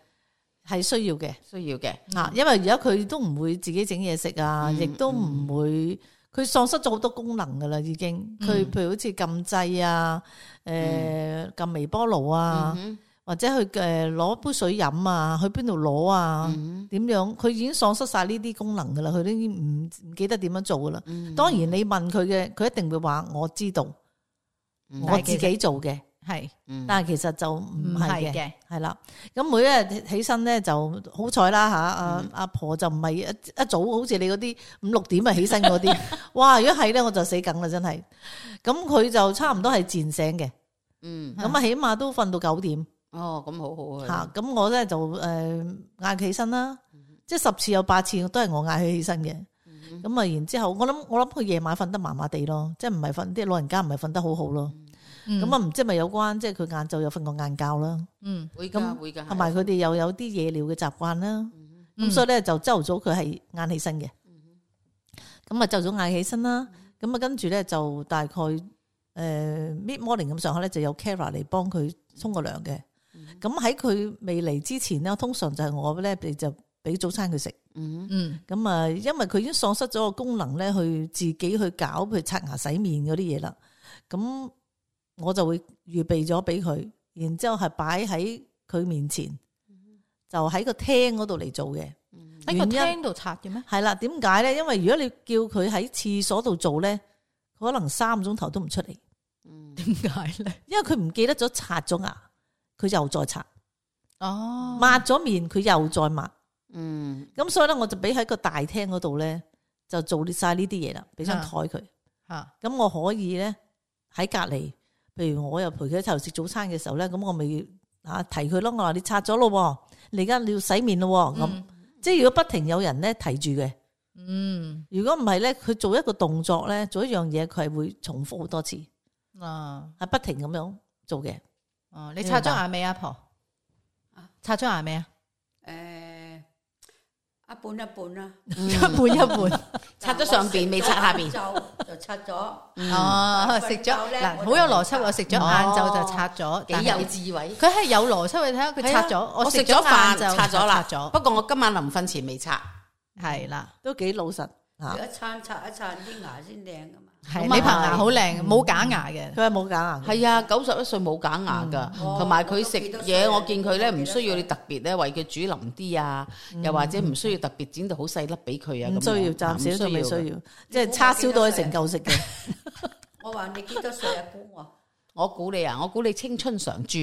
係需要嘅，需要嘅，啊，因為而家佢都唔會自己整嘢食啊，亦、嗯、都唔會，佢喪失咗好多功能噶啦，已經。佢、嗯、譬如好似撳掣啊，誒、呃，撳、嗯、微波爐啊，嗯、或者去誒攞杯水飲啊，去邊度攞啊，點、嗯、樣？佢已經喪失晒呢啲功能噶啦，佢都已經唔唔記得點樣做噶啦。嗯、當然你問佢嘅，佢一定會話我知道，嗯、我自己做嘅。係，但係其實就唔係嘅，係啦。咁每一日起身咧就好彩啦吓，阿阿婆就唔係一一早好似你嗰啲五六點啊起身嗰啲，哇！如果係咧我就死梗啦，真係。咁佢就差唔多係自然醒嘅，嗯，咁啊起碼都瞓到九點。哦，咁好好啊。吓，咁我咧就誒嗌佢起身啦，即係十次有八次都係我嗌佢起身嘅。咁啊，然之後我諗我諗佢夜晚瞓得麻麻地咯，即係唔係瞓啲老人家唔係瞓得好好咯。咁啊，唔知係咪有關，即係佢晏晝有瞓過晏覺啦。嗯，會噶會噶，同埋佢哋又有啲夜尿嘅習慣啦。咁、嗯、所以咧就朝頭早佢係晏起身嘅。咁啊朝頭早晏起身啦。咁啊跟住咧就大概誒 mid morning 咁上下咧就有 carer 嚟幫佢沖個涼嘅。咁喺佢未嚟之前咧，通常就係我咧就俾早餐佢食。嗯嗯。咁啊，因為佢已經喪失咗個功能咧，去自己去搞，譬如刷牙、洗面嗰啲嘢啦。咁我就會預備咗俾佢，然之後係擺喺佢面前，就喺個廳嗰度嚟做嘅。喺個廳度刷嘅咩？係啦，點解咧？因為如果你叫佢喺廁所度做咧，佢可能三個鐘頭都唔出嚟。點解咧？因為佢唔記得咗刷咗牙，佢又再刷。哦，抹咗面，佢又再抹。嗯，咁所以咧，我就俾喺個大廳嗰度咧，就做晒呢啲嘢啦，俾張台佢。吓，咁我可以咧喺隔籬。譬如我又陪佢喺頭食早餐嘅時候咧，咁我咪啊提佢咯。我話你刷咗咯，你而家你要洗面咯。咁、嗯、即係如果不停有人咧提住嘅，嗯，如果唔係咧，佢做一個動作咧，做一樣嘢，佢係會重複好多次，啊，係不停咁樣做嘅。哦，你刷咗牙未，阿婆？啊，刷咗牙未啊？誒。一半一半啦，一半一半，刷咗上邊未刷下邊，就就刷咗。哦，食咗嗱，好有邏輯。我食咗晏晝就刷咗，幾有智慧。佢係有邏輯，你睇下佢刷咗。我食咗飯就刷咗啦，不過我今晚臨瞓前未刷。係啦，都幾老實。一餐刷一餐啲牙先靚噶嘛。係你棚牙好靚，冇假牙嘅。佢係冇假牙。係啊，九十一歲冇假牙噶，同埋佢食嘢，我見佢咧唔需要你特別咧為佢煮腍啲啊，又或者唔需要特別剪到好細粒俾佢啊。唔需要，暫時都未需要，即係叉燒都可以成嚿食嘅。我話你幾多歲啊？估我，我估你啊，我估你青春常駐，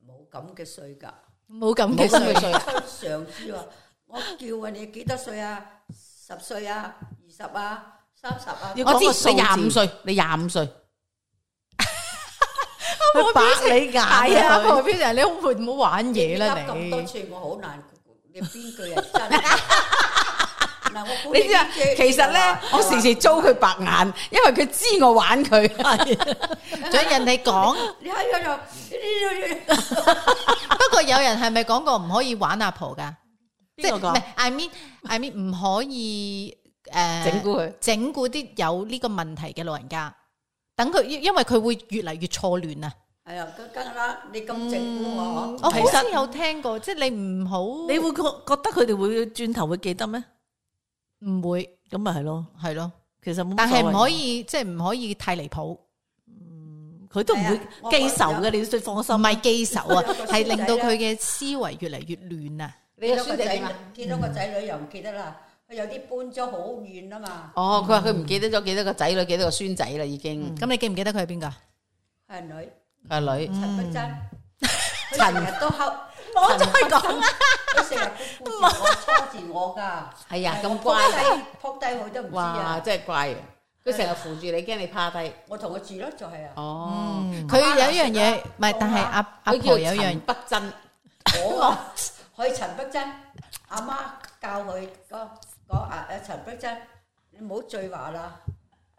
冇咁嘅歲噶，冇咁嘅歲。青春常駐啊！我叫啊，你幾多歲啊？十歲啊？二十啊？三十啊！我知你廿五歲，你廿五歲。我白你眼啊！何標人，你好唔好玩嘢啦？你咁多次我好難，你邊句係真？嗱，我你知啊，其實咧，我時時遭佢白眼，因為佢知我玩佢。仲有人哋講，你喺度，不過過有人係咪講過唔可以玩阿婆㗎？即係邊個講唔係 I mean I mean 唔可以誒整蠱佢，整蠱啲有呢個問題嘅老人家，等佢因為佢會越嚟越錯亂啊！係啊，梗梗啦，你咁整蠱我，我好似有聽過，即係你唔好，你會覺覺得佢哋會轉頭會記得咩？唔會咁咪係咯，係咯，其實冇乜但係所謂唔可以即係唔可以太離譜，佢都唔會記仇嘅，你要放心。唔係記仇啊，我係令到佢嘅思維越嚟越亂啊！你個見到個仔孫仔點啊？見到個仔女又唔記得啦，佢有啲搬咗好遠啊嘛，哦，佢話佢唔記得咗幾多個仔女，幾多個孫仔啦，已經。咁你記唔記得佢係邊個？係女佢係女，陳碧珍，佢成日都後，我再講啦，佢成日都顧住我拖住我㗎，係啊，咁撲乖，低撲低佢都唔知哇，啊，真係乖啊！佢成日扶住你，驚你趴低。我同佢住咯，就係啊，哦，佢有一樣嘢，唔係，但係阿阿佢婆有一樣叫陳不真。我啊，佢陳碧珍，阿媽教佢講講啊啊陳碧珍，你唔好再話啦，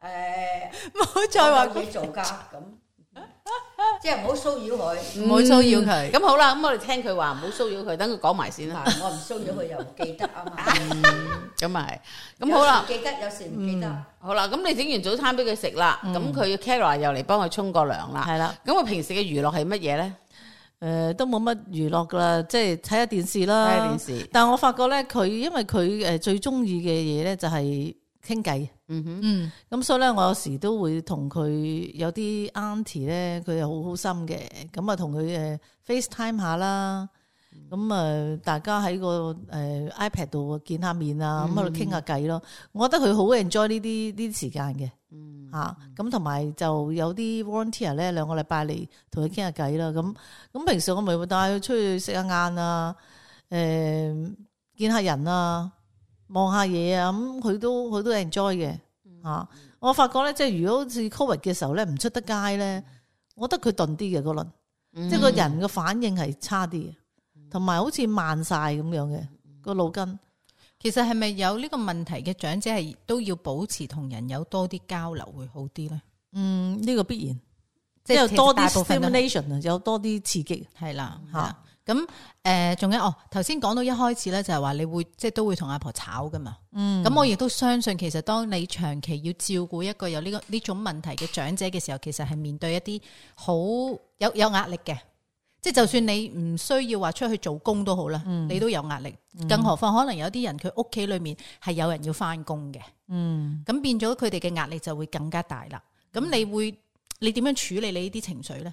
誒，唔好再話我有嘢做㗎咁，即係唔好騷擾佢。唔好騷擾佢。咁好啦，咁我哋聽佢話，唔好騷擾佢，等佢講埋先啦。嗱，我唔騷擾佢又唔記得啊嘛。咁啊係，咁好啦有，時記得，有時唔記得。好啦，咁你整完早餐俾佢食啦，咁佢 Kara 又嚟幫佢沖個涼啦。係啦，咁佢平時嘅娛樂係乜嘢咧？誒都冇乜娛樂噶啦，即係睇下電視啦。睇下電視。但係我發覺咧，佢因為佢誒最中意嘅嘢咧就係傾偈。嗯哼，嗯，咁所以咧，我有時都會同佢有啲 auntie 咧，佢又好好心嘅，咁啊同佢誒 FaceTime 下啦，咁啊大家喺個誒 iPad 度見下面啊，咁喺度傾下偈咯。我覺得佢好 enjoy 呢啲呢啲時間嘅，嚇咁同埋就有啲 volunteer 咧兩個禮拜嚟同佢傾下偈啦。咁咁平時我咪會帶佢出去食下晏啊，誒見下人啊。望下嘢啊，咁佢都佢都 enjoy 嘅嚇。我發覺咧，即係如果好似 Covid 嘅時候咧，唔出得街咧，我覺得佢鈍啲嘅嗰輪，即係個人嘅反應係差啲嘅，同埋好似慢晒咁樣嘅個腦筋。其實係咪有呢個問題嘅長者係都要保持同人有多啲交流會好啲咧？嗯，呢個必然，即係即係多啲大部分都 stimulation 啊，有多啲刺激。係啦嚇嚇。咁誒，仲有哦，頭先講到一開始咧，就係話你會即係都會同阿婆吵噶嘛。嗯，咁我亦都相信，其實當你長期要照顧一個有呢個呢種問題嘅長者嘅時候，其實係面對一啲好有有壓力嘅。即係就算你唔需要話出去做工都好啦，嗯你都有壓力。更何況可能有啲人佢屋企裏面係有人要翻工嘅，嗯，咁變咗佢哋嘅壓力就會更加大啦。咁你會你點樣處理你呢啲情緒咧？誒、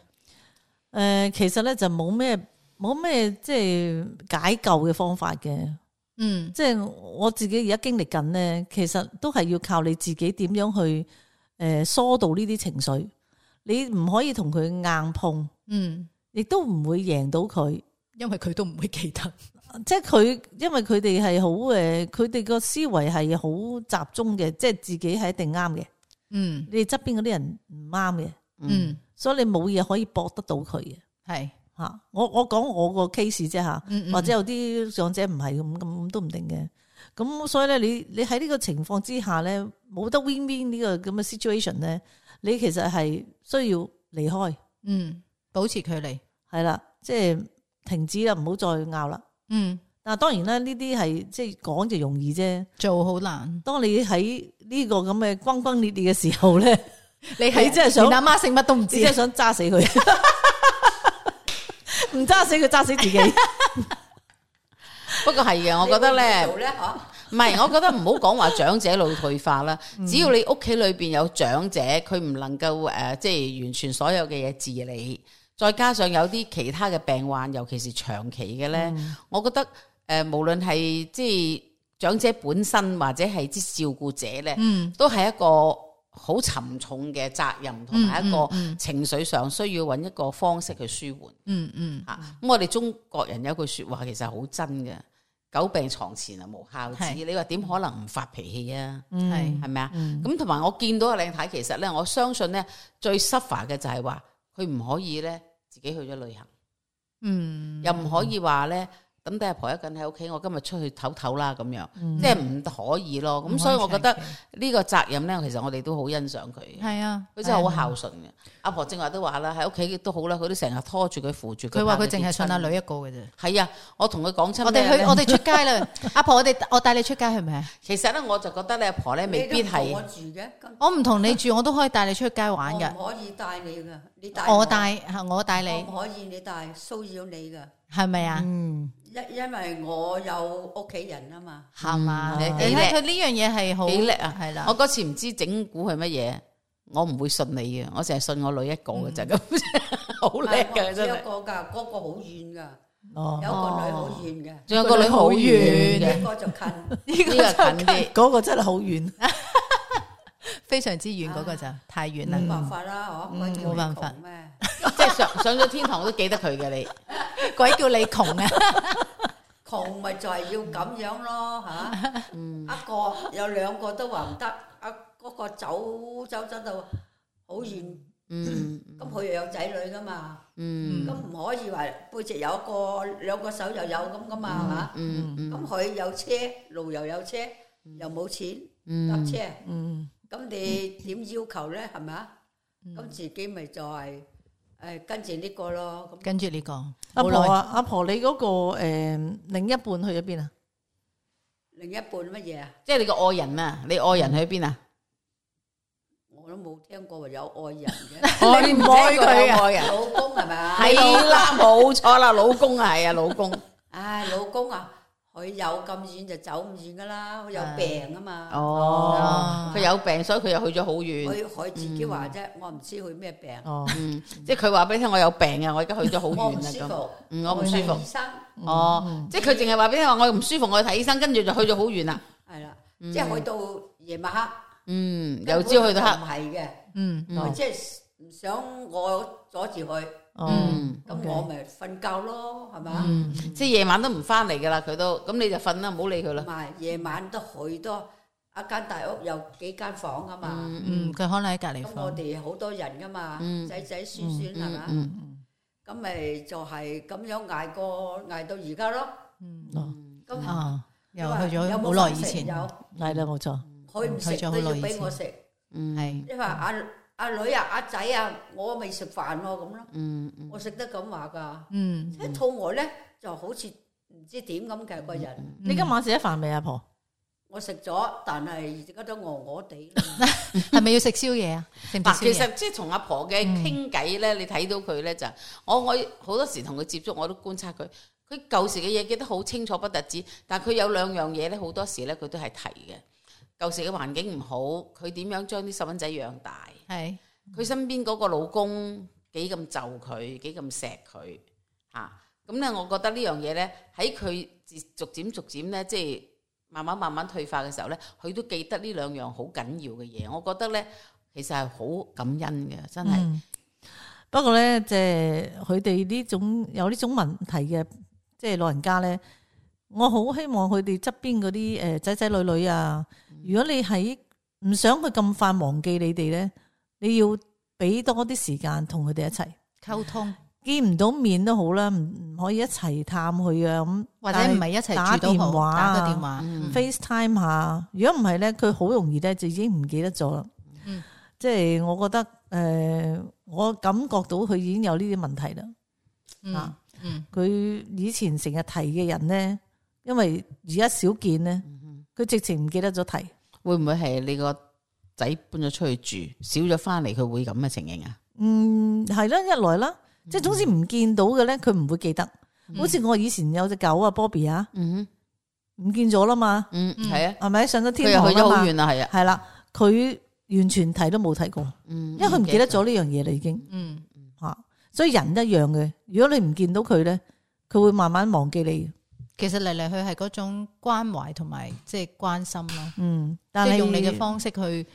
呃，其實咧就冇咩冇咩即係解救嘅方法嘅。嗯，即係我自己而家經歷緊咧，其實都係要靠你自己點樣去誒疏導呢啲情緒。你唔可以同佢硬碰，嗯，亦都唔會贏到佢，因為佢都唔會記得。即係佢，因為佢哋係好誒，佢哋個思維係好集中嘅，即係自己係一定啱嘅。嗯你哋側邊嗰啲人唔啱嘅，嗯，所以你冇嘢可以駁得到佢嘅係吓。我我講我個 case 啫吓，嗯嗯或者有啲長者唔係咁咁都唔定嘅。咁所以咧，你你喺呢個情況之下咧，冇得 win win 呢個咁嘅 situation 咧，你其實係需要離開，嗯，保持距離。係啦，即係停止啦，唔好再拗啦。嗯，但係當然啦，呢啲係即係講就容易啫。做好難。當你喺呢個咁嘅轟轟烈烈嘅時候咧，你你真係想連阿媽姓乜都唔知你真係，想揸死佢，唔揸死佢，揸死自己。不過係嘅，我覺得咧，做咧嚇，唔係，我覺得唔好講話長者腦退化啦。只要你屋企裏邊有長者，佢唔能夠誒、呃，即係完全所有嘅嘢自理，再加上有啲其他嘅病患，尤其是長期嘅咧，嗯我覺得誒、呃，無論係即係長者本身或者係啲照顧者咧，嗯都係一個好沉重嘅責任，同埋一個嗯嗯情緒上需要揾一個方式去舒緩。嗯嗯，吓，咁我哋中國人有句說話其實好真嘅，久病床前啊無孝子。係你話點可能唔發脾氣啊？係係咪啊？咁同埋我見到阿靚太，其實咧，我相信咧最 suffer 嘅就係話佢唔可以咧自己去咗旅行，嗯，又唔可以話咧抌低阿婆一個人喺屋企，我今日出去唞唞啦咁樣，即係唔可以咯。咁所以我覺得呢個責任咧，其實我哋都好欣賞佢。係啊，佢真係好孝順嘅。阿婆正話都話啦，喺屋企都好啦，佢都成日拖住佢扶住佢。佢話佢淨係信阿女一個嘅啫。係啊，我同佢講親，我哋去我哋出街啦，阿婆我哋我帶你出街係咪啊？其實咧，我就覺得咧，阿婆咧未必係我住嘅，我唔同你住，我都可以帶你出街玩嘅。我唔可以帶你噶，你帶我帶我帶你，我唔可以你帶騷擾你噶，係咪啊？嗯，因因為我有屋企人啊嘛，係嘛？你你睇佢呢樣嘢係好幾叻啊！係啦，我嗰次唔知整蠱係乜嘢，我唔會信你嘅，我淨係信我女一個嘅啫，咁好叻嘅真係。一個噶，嗰個好遠噶，哦，有個女好遠嘅，仲有個女好遠嘅，呢個就近，呢個近啲。嗰個真係好遠，非常之遠嗰個就太遠啦。冇辦法啦，嗬，冇辦法咩？即係上上咗天堂都記得佢嘅你，鬼叫你窮啊！窮咪就係要咁樣咯嚇，一個有兩個都話唔得，啊嗰個走走走到好遠，咁佢又有仔女噶嘛，咁唔可以話背脊有一個兩個手又有咁噶嘛，係嘛？咁佢有車，路又有車，又冇錢搭車，咁你點要求咧？係咪啊？咁自己咪就係誒跟住呢個咯，跟住呢個阿婆啊，阿婆你嗰個誒另一半去咗邊啊？另一半乜嘢啊？即係你個愛人啊！你愛人去邊啊？我都冇聽過話有愛人嘅，我你唔愛佢啊？愛人老公係咪啊？係啦，冇錯啦，老公啊，係啊，老公。唉，老公啊，佢有咁遠就走唔遠噶啦，佢有病啊嘛。哦，佢有病，所以佢又去咗好遠。佢佢自己話啫，我唔知佢咩病。哦，嗯，即係佢話俾你聽，我有病啊，我而家去咗好遠啦咁。嗯，我唔舒服。醫生。哦，即係佢淨係話俾你聽，我唔舒服，我去睇醫生，跟住就去咗好遠啦。係啦，即係去到夜晚黑。嗯，由朝去到黑。唔係嘅，嗯，佢即係唔想我阻住佢。嗯，咁我咪瞓覺咯，係嘛？即係夜晚都唔翻嚟噶啦，佢都咁你就瞓啦，唔好理佢啦。唔係夜晚都去多一間大屋，有幾間房啊嘛。嗯，佢可能喺隔離咁房。我哋好多人噶嘛，仔仔孫孫係嘛？咁咪就係咁樣捱過捱到而家咯。嗯，咁啊，又去咗好耐以前。有係啦，冇錯。佢唔食都要俾我食。嗯，係。因為阿阿女啊、阿仔啊，我未食飯喎咁咯。嗯，我食得咁話噶。嗯，一肚餓咧，就好似唔知點咁嘅個人。你今晚食咗飯未，阿婆？我食咗，但係而家都餓餓地。係咪要食宵夜啊？嗱，其實即係同阿婆嘅傾偈咧，你睇到佢咧就，我我好多時同佢接觸，我都觀察佢。佢舊時嘅嘢記得好清楚不特止，但係佢有兩樣嘢咧，好多時咧佢都係提嘅。舊時嘅環境唔好，佢點樣將啲細蚊仔養大？係佢身邊嗰個老公幾咁就佢，幾咁錫佢嚇。咁咧，我覺得呢樣嘢咧，喺佢逐漸逐漸咧，即係慢慢慢慢退化嘅時候咧，佢都記得呢兩樣好緊要嘅嘢。我覺得咧，其實係好感恩嘅，真係、嗯。不過咧，即係佢哋呢種有呢種問題嘅，即係老人家咧，我好希望佢哋側邊嗰啲誒仔仔女女啊。如果你喺唔想佢咁快忘記你哋咧，你要俾多啲時間同佢哋一齊溝通，見唔到面都好啦，唔唔可以一齊探佢啊咁，或者唔係一齊打電話，打個電話、嗯、FaceTime 下。如果唔係咧，佢好容易咧就已經唔記得咗啦。嗯、即係我覺得誒、呃，我感覺到佢已經有呢啲問題啦。嗯、啊，佢、嗯、以前成日提嘅人咧，因為而家少見咧。佢直情唔記得咗提，會唔會係你個仔搬咗出去住，少咗翻嚟，佢會咁嘅情形啊？嗯，係啦，一來啦，嗯、即係總之唔見到嘅咧，佢唔會記得。嗯、好似我以前有隻狗啊 Bobby 啊，嗯哼，唔見咗啦嘛，嗯，係啊，係咪上咗天堂啦嘛？佢又去咗好遠啦，係啊，係啦，佢完全提都冇提過，嗯，因為佢唔記得咗呢樣嘢啦，已經，嗯，吓，所以人一樣嘅，如果你唔見到佢咧，佢會慢慢忘記你。其實嚟嚟去係嗰種關懷同埋即係關心咯，嗯，即係用你嘅方式去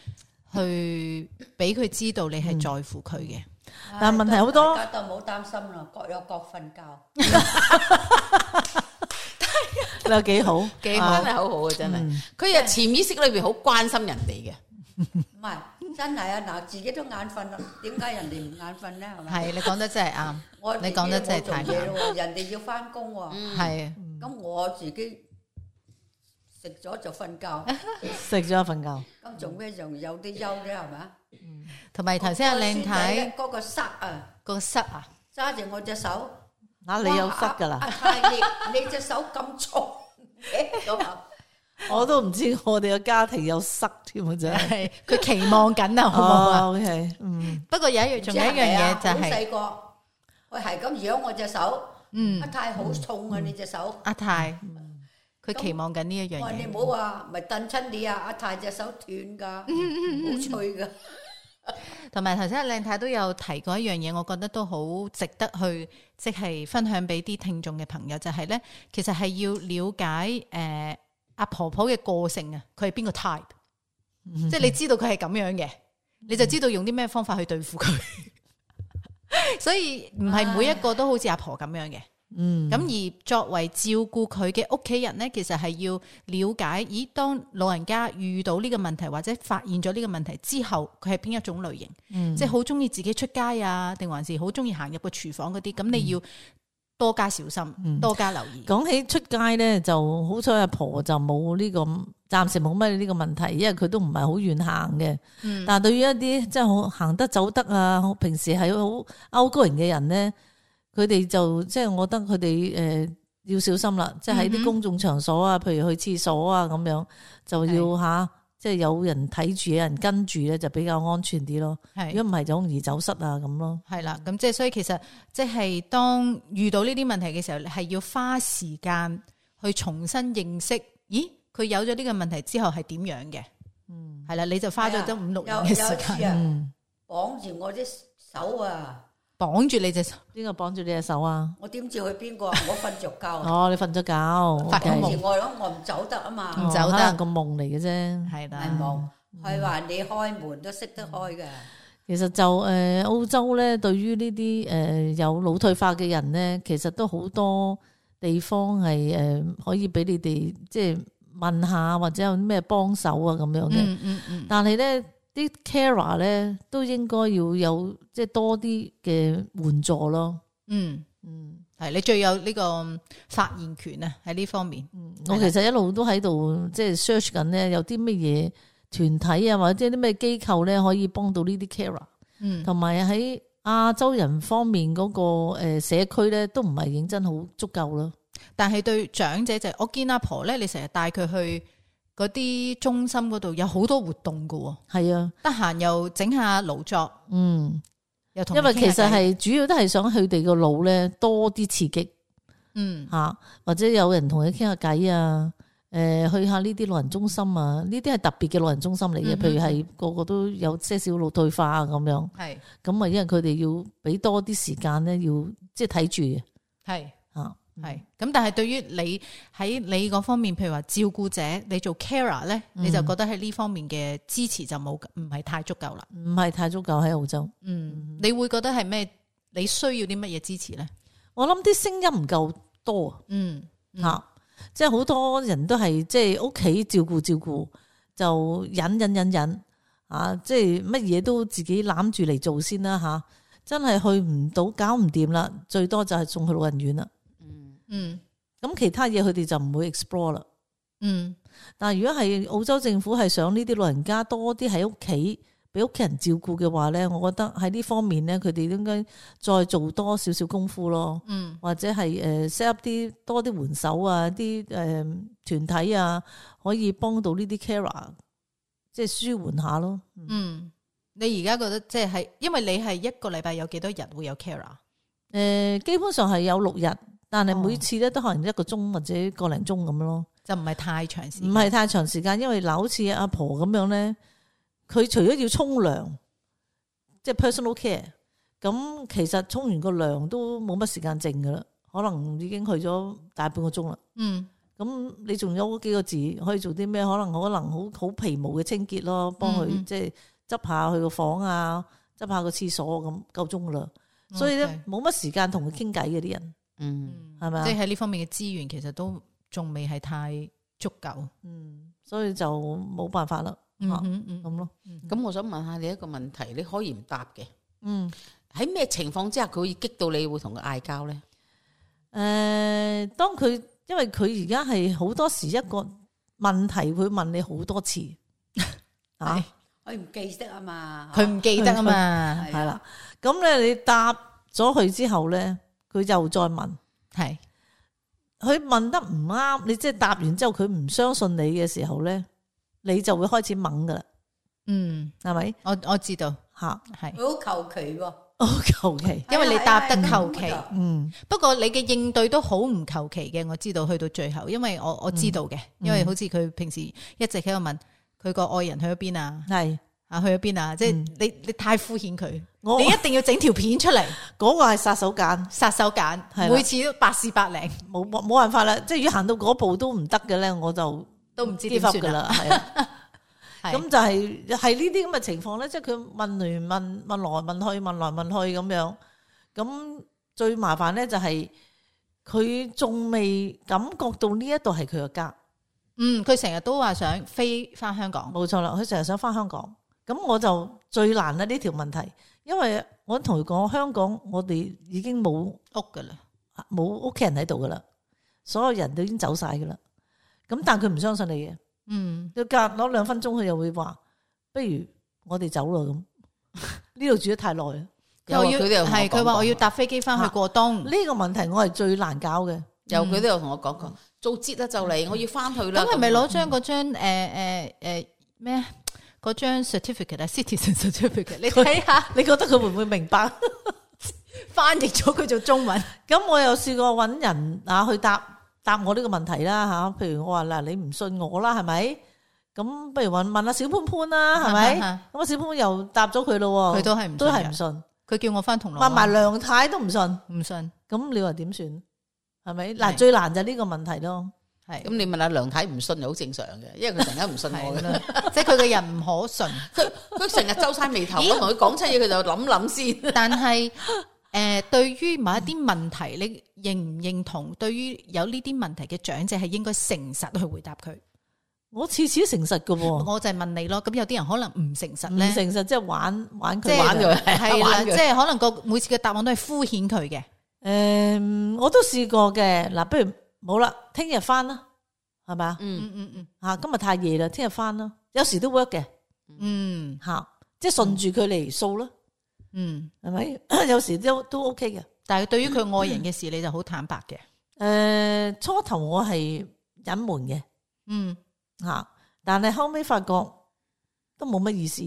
去俾佢知道你係在乎佢嘅。嗯、但係問題好多，大家都唔好擔心啦，各有各瞓覺。你有幾好，幾好，真係好好嘅，真係。佢又潛意識裏邊好關心人哋嘅，唔係真係啊！嗱，自己都眼瞓啦，點解人哋唔眼瞓咧？係咪？係你講得真係啱，我你講得真係太啱。人哋要翻工喎，係咁我自己食咗就瞓覺，食咗瞓覺。咁做咩仲有啲憂啫？係咪？同埋頭先阿靚太嗰個塞啊，個塞啊，揸住我隻手，啊你有塞噶啦？太烈，你隻手咁重嘅咁啊！我都唔知我哋個家庭有塞添啊！真係，佢期望緊啊，好唔好啊？ OK， 嗯，不過有一樣，仲有一樣嘢就係細個，我係咁養我隻手，嗯，阿太好重啊！你隻手，阿太，佢期望緊呢一樣我話你嘢。唔好話，咪蹬親你啊！阿太隻手斷噶，好脆噶。同埋頭先阿靚太都有提過一樣嘢，我覺得都好值得去即係分享俾啲聽眾嘅朋友，就係咧，其實係要了解誒阿婆婆嘅個性啊，佢係邊個 type，即係你知道佢係咁樣嘅，你就知道用啲咩方法去對付佢。所以唔係每一個都好似阿婆咁樣嘅。嗯，咁而作為照顧佢嘅屋企人咧，其實係要了解，咦，當老人家遇到呢個問題或者發現咗呢個問題之後，佢係邊一種類型？嗯、即係好中意自己出街啊，定還是好中意行入個廚房嗰啲？咁、嗯、你要多加小心，嗯、多加留意。講起出街咧，就好彩阿婆就冇呢、這個，暫時冇乜呢個問題，因為佢都唔係好遠行嘅。嗯、但係對於一啲即係好行得走得啊，平時係好 outgoing嘅人咧。佢哋就即係，我覺得佢哋誒要小心啦。即係喺啲公眾場所啊，譬如去廁所啊咁樣，就要吓，即係有人睇住，有人跟住咧，就比較安全啲咯。如果唔係，就容易走失啊咁咯。係啦，咁即係所以其實即係當遇到呢啲問題嘅時候，係要花時間去重新認識。咦，佢有咗呢個問題之後係點樣嘅？嗯，係啦，你就花咗都五六年嘅時間，綁住我隻手啊！綁住你隻手，邊個綁住你隻手啊？我點知佢邊個？我瞓着覺。哦，你瞓咗覺，發緊夢我諗我唔走得啊嘛，唔走得個夢嚟嘅啫，係啦，係夢。佢話你開門都識得開嘅。其實就誒澳洲咧，對於呢啲誒有腦退化嘅人咧，其實都好多地方係誒可以俾你哋即係問下或者有咩幫手啊咁樣嘅。嗯嗯嗯。但係咧。啲 carer 咧都應該要有即係多啲嘅援助咯。嗯嗯，係你最有呢個發言權啊喺呢方面。嗯，我其實一路都喺度即係 search 緊咧，有啲乜嘢團體啊，或者啲咩機構咧可以幫到呢啲 carer。嗯，同埋喺亞洲人方面嗰個誒社區咧都唔係認真好足夠咯。但係對長者就係，我見阿婆咧，你成日帶佢去嗰啲中心嗰度有好多活動噶，係啊，得閒又整下勞作，嗯，又同，因為其實係主要都係想佢哋個腦咧多啲刺激，嗯吓，或者有人同佢傾下偈啊，誒去下呢啲老人中心啊，呢啲係特別嘅老人中心嚟嘅，嗯、譬如係個個都有些少腦退化啊咁樣，係，咁啊因為佢哋要俾多啲時間咧，要即係睇住嘅，係吓。係咁，但係對於你喺你嗰方面，譬如話照顧者，你做 carer 咧，嗯、你就覺得喺呢方面嘅支持就冇唔係太足夠啦，唔係太足夠喺澳洲。嗯，你會覺得係咩？你需要啲乜嘢支持咧？我諗啲聲音唔夠多，嗯吓、嗯，即係好多人都係即係屋企照顧照顧，就忍忍忍忍啊！即係乜嘢都自己攬住嚟做先啦吓，真係去唔到，搞唔掂啦，最多就係送去老人院啦。嗯，咁其他嘢佢哋就唔會 explore 啦。嗯，但係如果係澳洲政府係想呢啲老人家多啲喺屋企俾屋企人照顧嘅話咧，我覺得喺呢方面咧，佢哋應該再做多少少功夫咯。嗯，或者係誒 set up 啲多啲援手啊，啲誒團體啊，可以幫到呢啲 carer，即係舒緩下咯。嗯，你而家覺得即係，因為你係一個禮拜有幾多日會有 carer？誒、呃，基本上係有六日。但係每次咧都可能一個鐘或者個零鐘咁咯，就唔係太長時間，唔係太長時間，因為嗱，好似阿婆咁樣咧，佢除咗要沖涼，即係 personal care，咁其實沖完個涼都冇乜時間剩噶啦，可能已經去咗大半個鐘啦。嗯，咁你仲有幾個字可以做啲咩？可能可能好好皮毛嘅清潔咯，幫佢、嗯、即係執下佢個房啊，執下個廁所咁夠鐘噶啦。所以咧冇乜時間同佢傾偈嘅啲人。嗯，係咪啊？即係喺呢方面嘅資源，其實都仲未係太足夠。嗯，所以就冇辦法啦。嗯嗯咁咯。咁我想問下你一個問題，你可以唔答嘅。嗯，喺咩情況之下佢會激到你會同佢嗌交咧？誒、呃，當佢因為佢而家係好多時一個問題會問你好多次啊，佢唔記得啊嘛，佢唔記得啊嘛，係啦。咁咧你答咗佢之後咧，佢又再問，係佢問得唔啱，你即係答完之後佢唔相信你嘅時候咧，你就會開始掹噶啦。嗯，係咪？我我知道吓，係佢好求其喎，好求其，因為你答得求其。嗯，不過你嘅應對都好唔求其嘅，我知道去到最後，因為我我知道嘅，因為好似佢平時一直喺度問佢個愛人去咗邊啊，係啊去咗邊啊，即係你你太敷衍佢，我你一定要整條片出嚟，嗰個係殺手鐧，殺手鐧，係啦每次都百試百靈，冇冇冇辦法啦。即係如果行到嗰步都唔得嘅咧，我就都唔知 give 點 up 算啦。噶啦，係啊。係咁就係係呢啲咁嘅情況咧，即係佢問嚟問問來問去問來問去咁樣，咁最麻煩咧就係佢仲未感覺到呢一度係佢嘅家。嗯，佢成日都話想飛翻香港，冇錯啦，佢成日想翻香港，咁我就最難啦呢條問題，因為我同佢講香港我哋已經冇屋噶啦，冇屋企人喺度噶啦，所有人都已經走晒噶啦，咁但係佢唔相信你嘅。嗯，佢隔攞兩分鐘，佢又會話：不如我哋走啦咁。呢度住得太耐啦。又要佢哋又同我係佢話講過我要搭飛機翻去過冬。呢個問題我係最難搞嘅。有佢都有同我講過，做節啦就嚟，我要翻去啦。咁係咪攞張嗰張誒誒誒咩嗰張 certificate 啊 citizen certificate？你睇下，你覺得佢會唔會明白？翻譯咗佢做中文。咁我又試過揾人啊去答答我呢個問題啦吓。譬如我話嗱，你唔信我啦，係咪？咁不如問問阿小潘潘啦，係咪？咁阿小潘潘又答咗佢咯，佢都係唔都係唔信。佢叫我翻銅鑼灣，問埋梁太都唔信，唔信。咁你話點算？係咪？係嗱，最難就係呢個問題咯。係咁你問阿梁太唔信又好正常嘅，因為佢成日唔信我嘅，即係佢嘅人唔可信。佢佢成日皺晒眉頭，我同佢講親嘢，佢就諗諗先。但係誒、呃，對於某一啲問題，你認唔認同？對於有呢啲問題嘅長者，係應該誠實去回答佢。我次次都誠實㗎喎。我就係問你咯。咁有啲人可能唔誠實唔咧，誠實即係玩玩佢即係玩佢係啦，玩佢即係可能個每次嘅答案都係敷衍佢嘅。誒，我都試過嘅。嗱，不如冇啦，聽日翻啦，係咪啊？嗯嗯嗯嗯吓，今日太夜啦，聽日翻啦。有時都 work 嘅，嗯吓，即係順住佢嚟掃啦，嗯。係咪？有時都都 OK 嘅。但係對於佢愛人嘅事，你就好坦白嘅。誒，初頭我係隱瞞嘅，嗯，吓，但係後尾發覺都冇乜意思，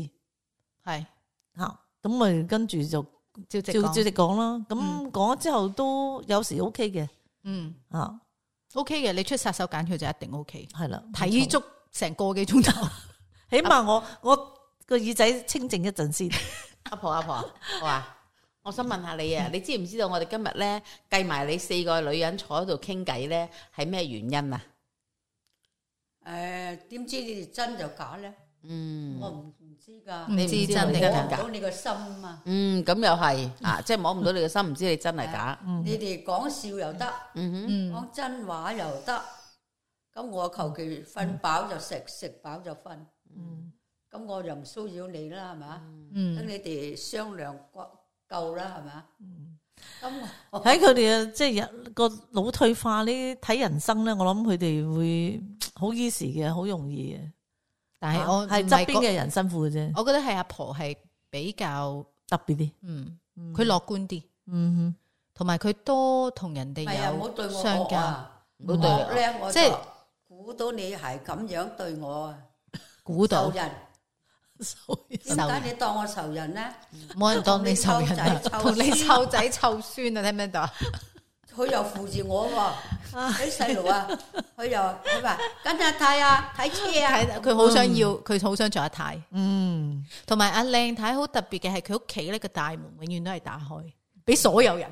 係吓，咁咪跟住就照直照照講。直講啦。咁嗯講咗之後都有時 OK 嘅，嗯啊， ，OK 嘅，你出殺手鐧，佢就一定 OK。係啦，睇足成個幾鐘頭，起碼我我個耳仔清靜一陣先。阿婆阿婆，我話我想問下你啊，你知唔知道我哋今日咧計埋你四個女人坐喺度傾偈咧，係咩原因啊？誒，點知你哋真就假咧？嗯，我唔唔知㗎，唔知你唔知真定我哋假摸唔到你個心啊！嗯，咁又係啊，即係摸唔到你嘅心，唔知你真係假。你哋講笑又得，嗯哼，嗯講真話又得，咁我求其瞓飽就食，食飽就瞓。嗯咁我就唔騷擾你啦，係嘛？等嗯，你哋商量夠夠啦，係嘛？咁我喺佢哋嘅即係個腦退化呢，睇人生咧，我諗佢哋會好 easy 嘅，好容易嘅。但係我係唔係側邊嘅人辛苦嘅啫，我覺得係阿婆係比較特別啲。嗯，佢樂觀啲，嗯同埋佢多同人哋唔係啊，唔好對我惡有相交。啊！唔好對惡咧，我即係就估到你係咁樣對我啊，估到仇人。哼，點解你當我仇人咧？冇人當你仇人啊，同你湊仔湊孫啊，聽唔聽到啊？佢又扶住我喎，啲細路啊，佢又佢話跟阿太啊睇車啊，睇佢好想要，佢好想做阿太。嗯，同埋阿靚太好特別嘅係佢屋企咧個大門永遠都係打開，俾所有人。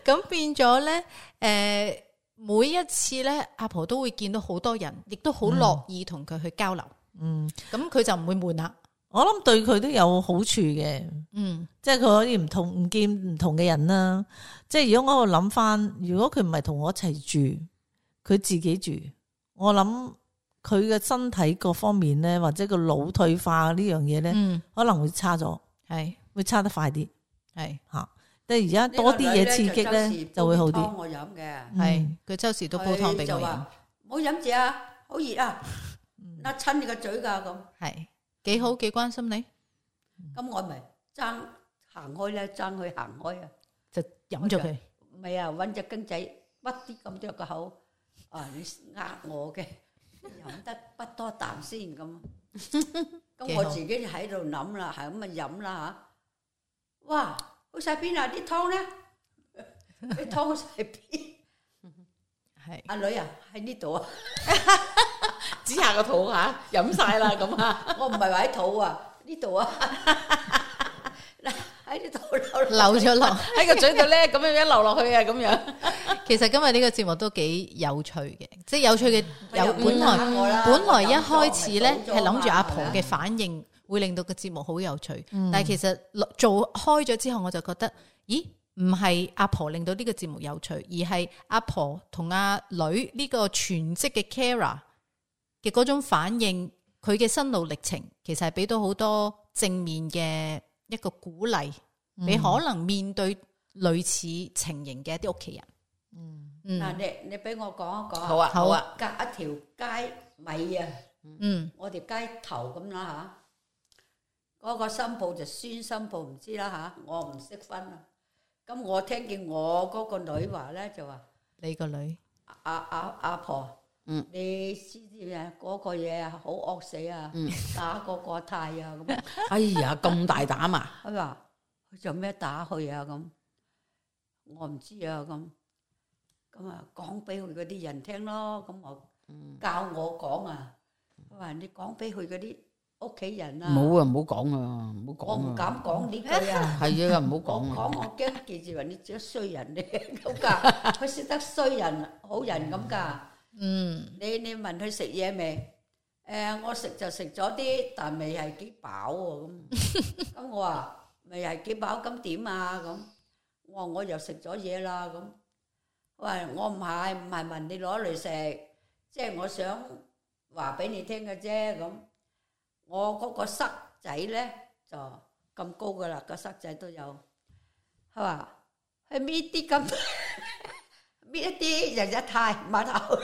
咁變咗咧，誒，每一次咧，阿婆都會見到好多人，亦都好樂意同佢去交流。嗯，咁佢就唔會悶啦。我諗對佢都有好處嘅，嗯即係佢可以唔同唔見唔同嘅人啦。即係如果我喺度諗翻，如果佢唔係同我一齊住，佢自己住，我諗佢嘅身體各方面咧，或者個腦退化呢樣嘢咧，嗯，可能會差咗，係會差得快啲係吓。即係而家多啲嘢刺激咧，就會好啲。我飲嘅係佢周時都煲湯俾我飲，唔好飲住啊，好熱啊，甩親你個嘴㗎咁。係幾好幾關心你，咁我咪爭行開咧，爭佢行開啊，就飲咗佢。唔係啊，揾隻羹仔屈啲咁多個口，啊你呃我嘅，飲得不多啖先咁。咁我自己就喺度諗啦，係咁啊飲啦嚇。哇！去晒邊啊？啲湯咧，啲湯去晒邊？係阿女啊，喺呢度啊，指下個肚嚇，飲晒啦咁啊！我唔係話喺肚啊，呢度啊，嗱喺呢度流流咗落喺個嘴度咧，咁樣樣流落去啊，咁樣。其實今日呢個節目都幾有趣嘅，即係有趣嘅有本來本來一開始咧係諗住阿婆嘅反應會令到個節目好有趣，但係其實做開咗之後，我就覺得，咦，唔係阿婆令到呢個節目有趣，而係阿婆同阿女呢個全職嘅 carer 嘅嗰種反應，佢嘅心路歷程，其實係俾到好多正面嘅一個鼓勵，俾可能面對類似情形嘅一啲屋企人。嗯，嗱，你你俾我講一講，好啊，好啊，隔一條街尾啊，嗯，我條街頭咁啦嚇，嗰個新抱就孫新抱唔知啦嚇，我唔識分啊。咁我聽見我嗰個女話咧就話，你個女阿阿阿婆，嗯，你知唔知啊？嗰個嘢啊，好惡死啊，打個個太啊咁。哎呀，咁大膽啊！佢話佢做咩打佢啊咁？我唔知啊咁。咁啊，講俾佢嗰啲人聽咯。咁我教我講啊，佢話你講俾佢嗰啲屋企人啊。唔好啊，唔好講啊，唔好講啊。我唔敢講呢句啊。係啊，唔好講啊。講我驚記住話你只衰人嚟咁㗎，佢識得衰人好人咁㗎。嗯，你你問佢食嘢未？誒，我食就食咗啲，但未係幾飽喎咁。咁我話未係幾飽，咁點啊咁？我話我又食咗嘢啦咁。喂，我唔係唔係問你攞嚟食，即係我想話俾你聽嘅啫咁。我嗰個塞仔咧就咁高噶啦，個塞仔都有。佢話去搣啲咁搣一啲日日太碼頭，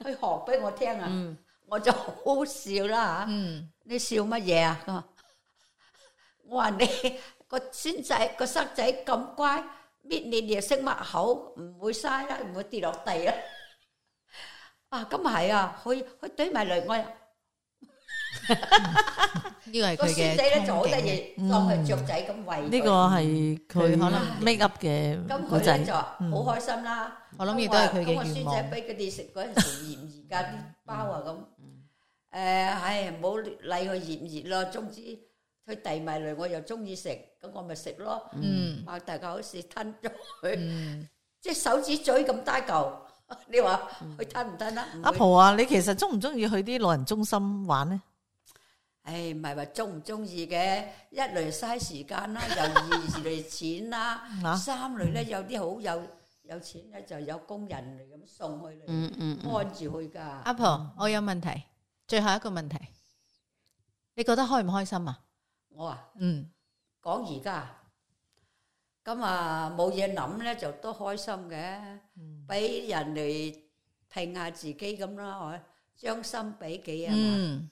去學俾我聽啊！嗯、我就好笑啦嚇。嗯、你笑乜嘢啊？佢話我話你個孫仔個塞仔咁乖。搣你哋識擘口，唔會嘥啦，唔會跌落地啦。啊，咁係啊，佢佢懟埋嚟我。呢個係佢嘅個孫仔咧就好得意，當佢雀仔咁餵。呢個係佢可能 make up 嘅。咁佢咧就好開心啦。我諗亦都係佢嘅願望。咁個孫仔俾佢哋食嗰陣時熱唔熱㗎啲包啊咁。誒，唉，唔好理佢熱唔熱咯，總之。佢遞埋嚟，我又中意食，咁我咪食咯。嗯，擘大個口試吞咗佢，嗯、即係手指嘴咁大嚿。你話佢吞唔吞啊？阿婆啊，你其實中唔中意去啲老人中心玩咧？誒，唔係話中唔中意嘅，一嚟嘥時間啦，又二嚟錢啦，啊、三嚟咧有啲好有有錢咧，就有工人嚟咁送去嚟，嗯嗯嗯、按住去噶。阿婆，我有問題，最後一個問題，你覺得開唔開心啊？我啊，嗯，講而家，咁啊冇嘢諗咧，就都開心嘅，俾、嗯、人嚟評下自己咁啦，係咪？將心比己啊嘛，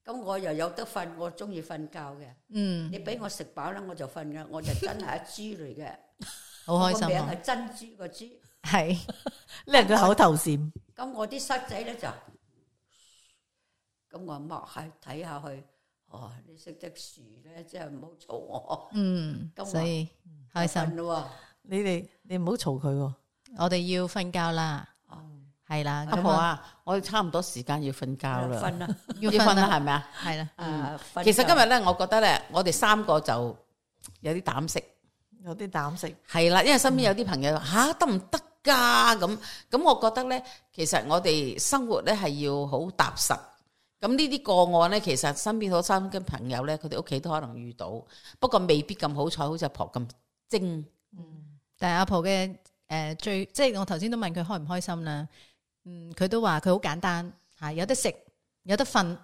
咁、嗯、我又有得瞓，我中意瞓覺嘅，嗯，你俾我食飽啦，我就瞓嘅，我就真係一豬嚟嘅，好開心啊！個名係珍珠個珠，係呢係佢口頭禪。咁我啲塞仔咧就，咁我擘下睇下去。哦，你識得樹咧，即係唔好嘈我。嗯，所以開心咯。你哋你唔好嘈佢。我哋要瞓覺啦。哦，係啦。阿婆啊，我哋差唔多時間要瞓覺啦。瞓啦，要瞓啦，係咪啊？係啦。嗯，其實今日咧，我覺得咧，我哋三個就有啲膽識，有啲膽識。係啦，因為身邊有啲朋友吓得唔得噶咁，咁我覺得咧，其實我哋生活咧係要好踏實。咁呢啲個案咧，其實身邊好多嘅朋友咧，佢哋屋企都可能遇到，不過未必咁好彩，好似阿婆咁精。嗯，但係阿婆嘅誒、呃、最，即係我頭先都問佢開唔開心啦。嗯，佢都話佢好簡單嚇，有得食，有得瞓，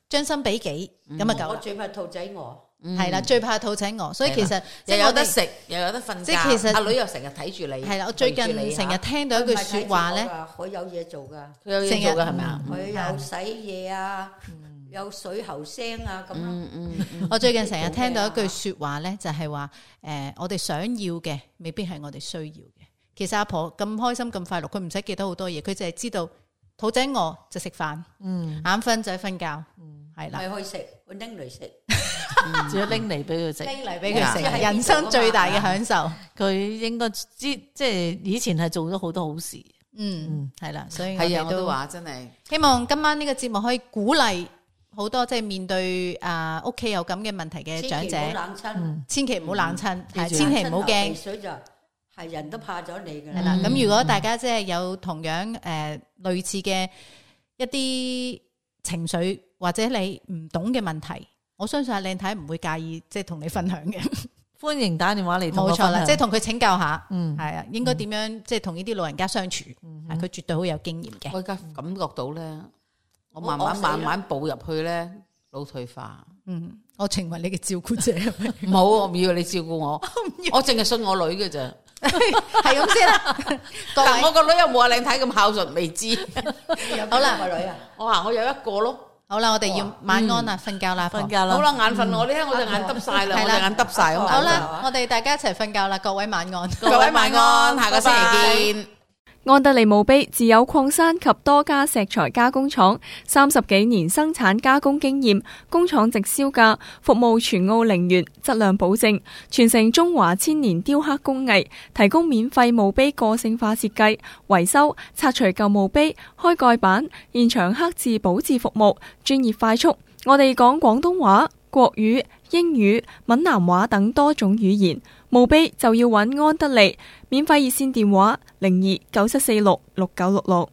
將心比己咁啊夠。我最怕兔仔餓。係啦，最怕肚仔餓，所以其實又有得食，又有得瞓覺。即係其實阿女又成日睇住你。係啦，我最近成日聽到一句説話咧，佢有嘢做㗎，佢有嘢做㗎係咪啊？佢有洗嘢啊，有水喉聲啊咁咯。我最近成日聽到一句説話咧，就係話誒，我哋想要嘅未必係我哋需要嘅。其實阿婆咁開心咁快樂，佢唔使記得好多嘢，佢就係知道肚仔餓就食飯，眼瞓就瞓覺，係啦，咪去食，佢拎嚟食。仲要拎嚟俾佢食，拎嚟俾佢食，人生最大嘅享受。佢應該知，即係以前係做咗好多好事。嗯，係啦，所以我係啊，哋我都話真係希望今晚呢個節目可以鼓勵好多即係面對啊屋企有咁嘅問題嘅長者，千祈唔好冷親，係千祈唔好驚。水就係人都怕咗你㗎。係啦，咁如果大家即係有同樣誒類似嘅一啲情緒或者你唔懂嘅問題，我相信阿靚太唔會介意，即係同你分享嘅。歡迎打電話嚟同我分享。冇錯啦，即係同佢請教下，嗯，係啊，應該點樣即係同呢啲老人家相處，係佢絕對好有經驗嘅。我而家感覺到咧，我慢慢慢慢步入去咧，腦退化。嗯，我成為你嘅照顧者。唔好，我唔要你照顧我，我淨係信我女嘅咋。係咁先啦。但我個女又冇阿靚太咁孝順，未知。好啦，個女啊，我話我有一個咯。好啦，我哋要晚安啦，瞓覺啦，瞓覺啦。好啦，眼瞓我呢，我隻眼耷晒啦，我隻眼耷晒咁。好啦，我哋大家一齊瞓覺啦，各位晚安，各位晚安，下個星期見。安德利墓碑自有礦山及多家石材加工廠，三十幾年生產加工經驗，工廠直銷價，服務全澳陵園，質量保證，傳承中華千年雕刻工藝，提供免費墓碑個性化設計、維修、拆除舊墓碑、開蓋板、現場刻字保質服務，專業快速。我哋講廣東話、國語、英語、閩南話等多種語言，墓碑就要揾安德利。免費熱線電話零二九七四六六九六六。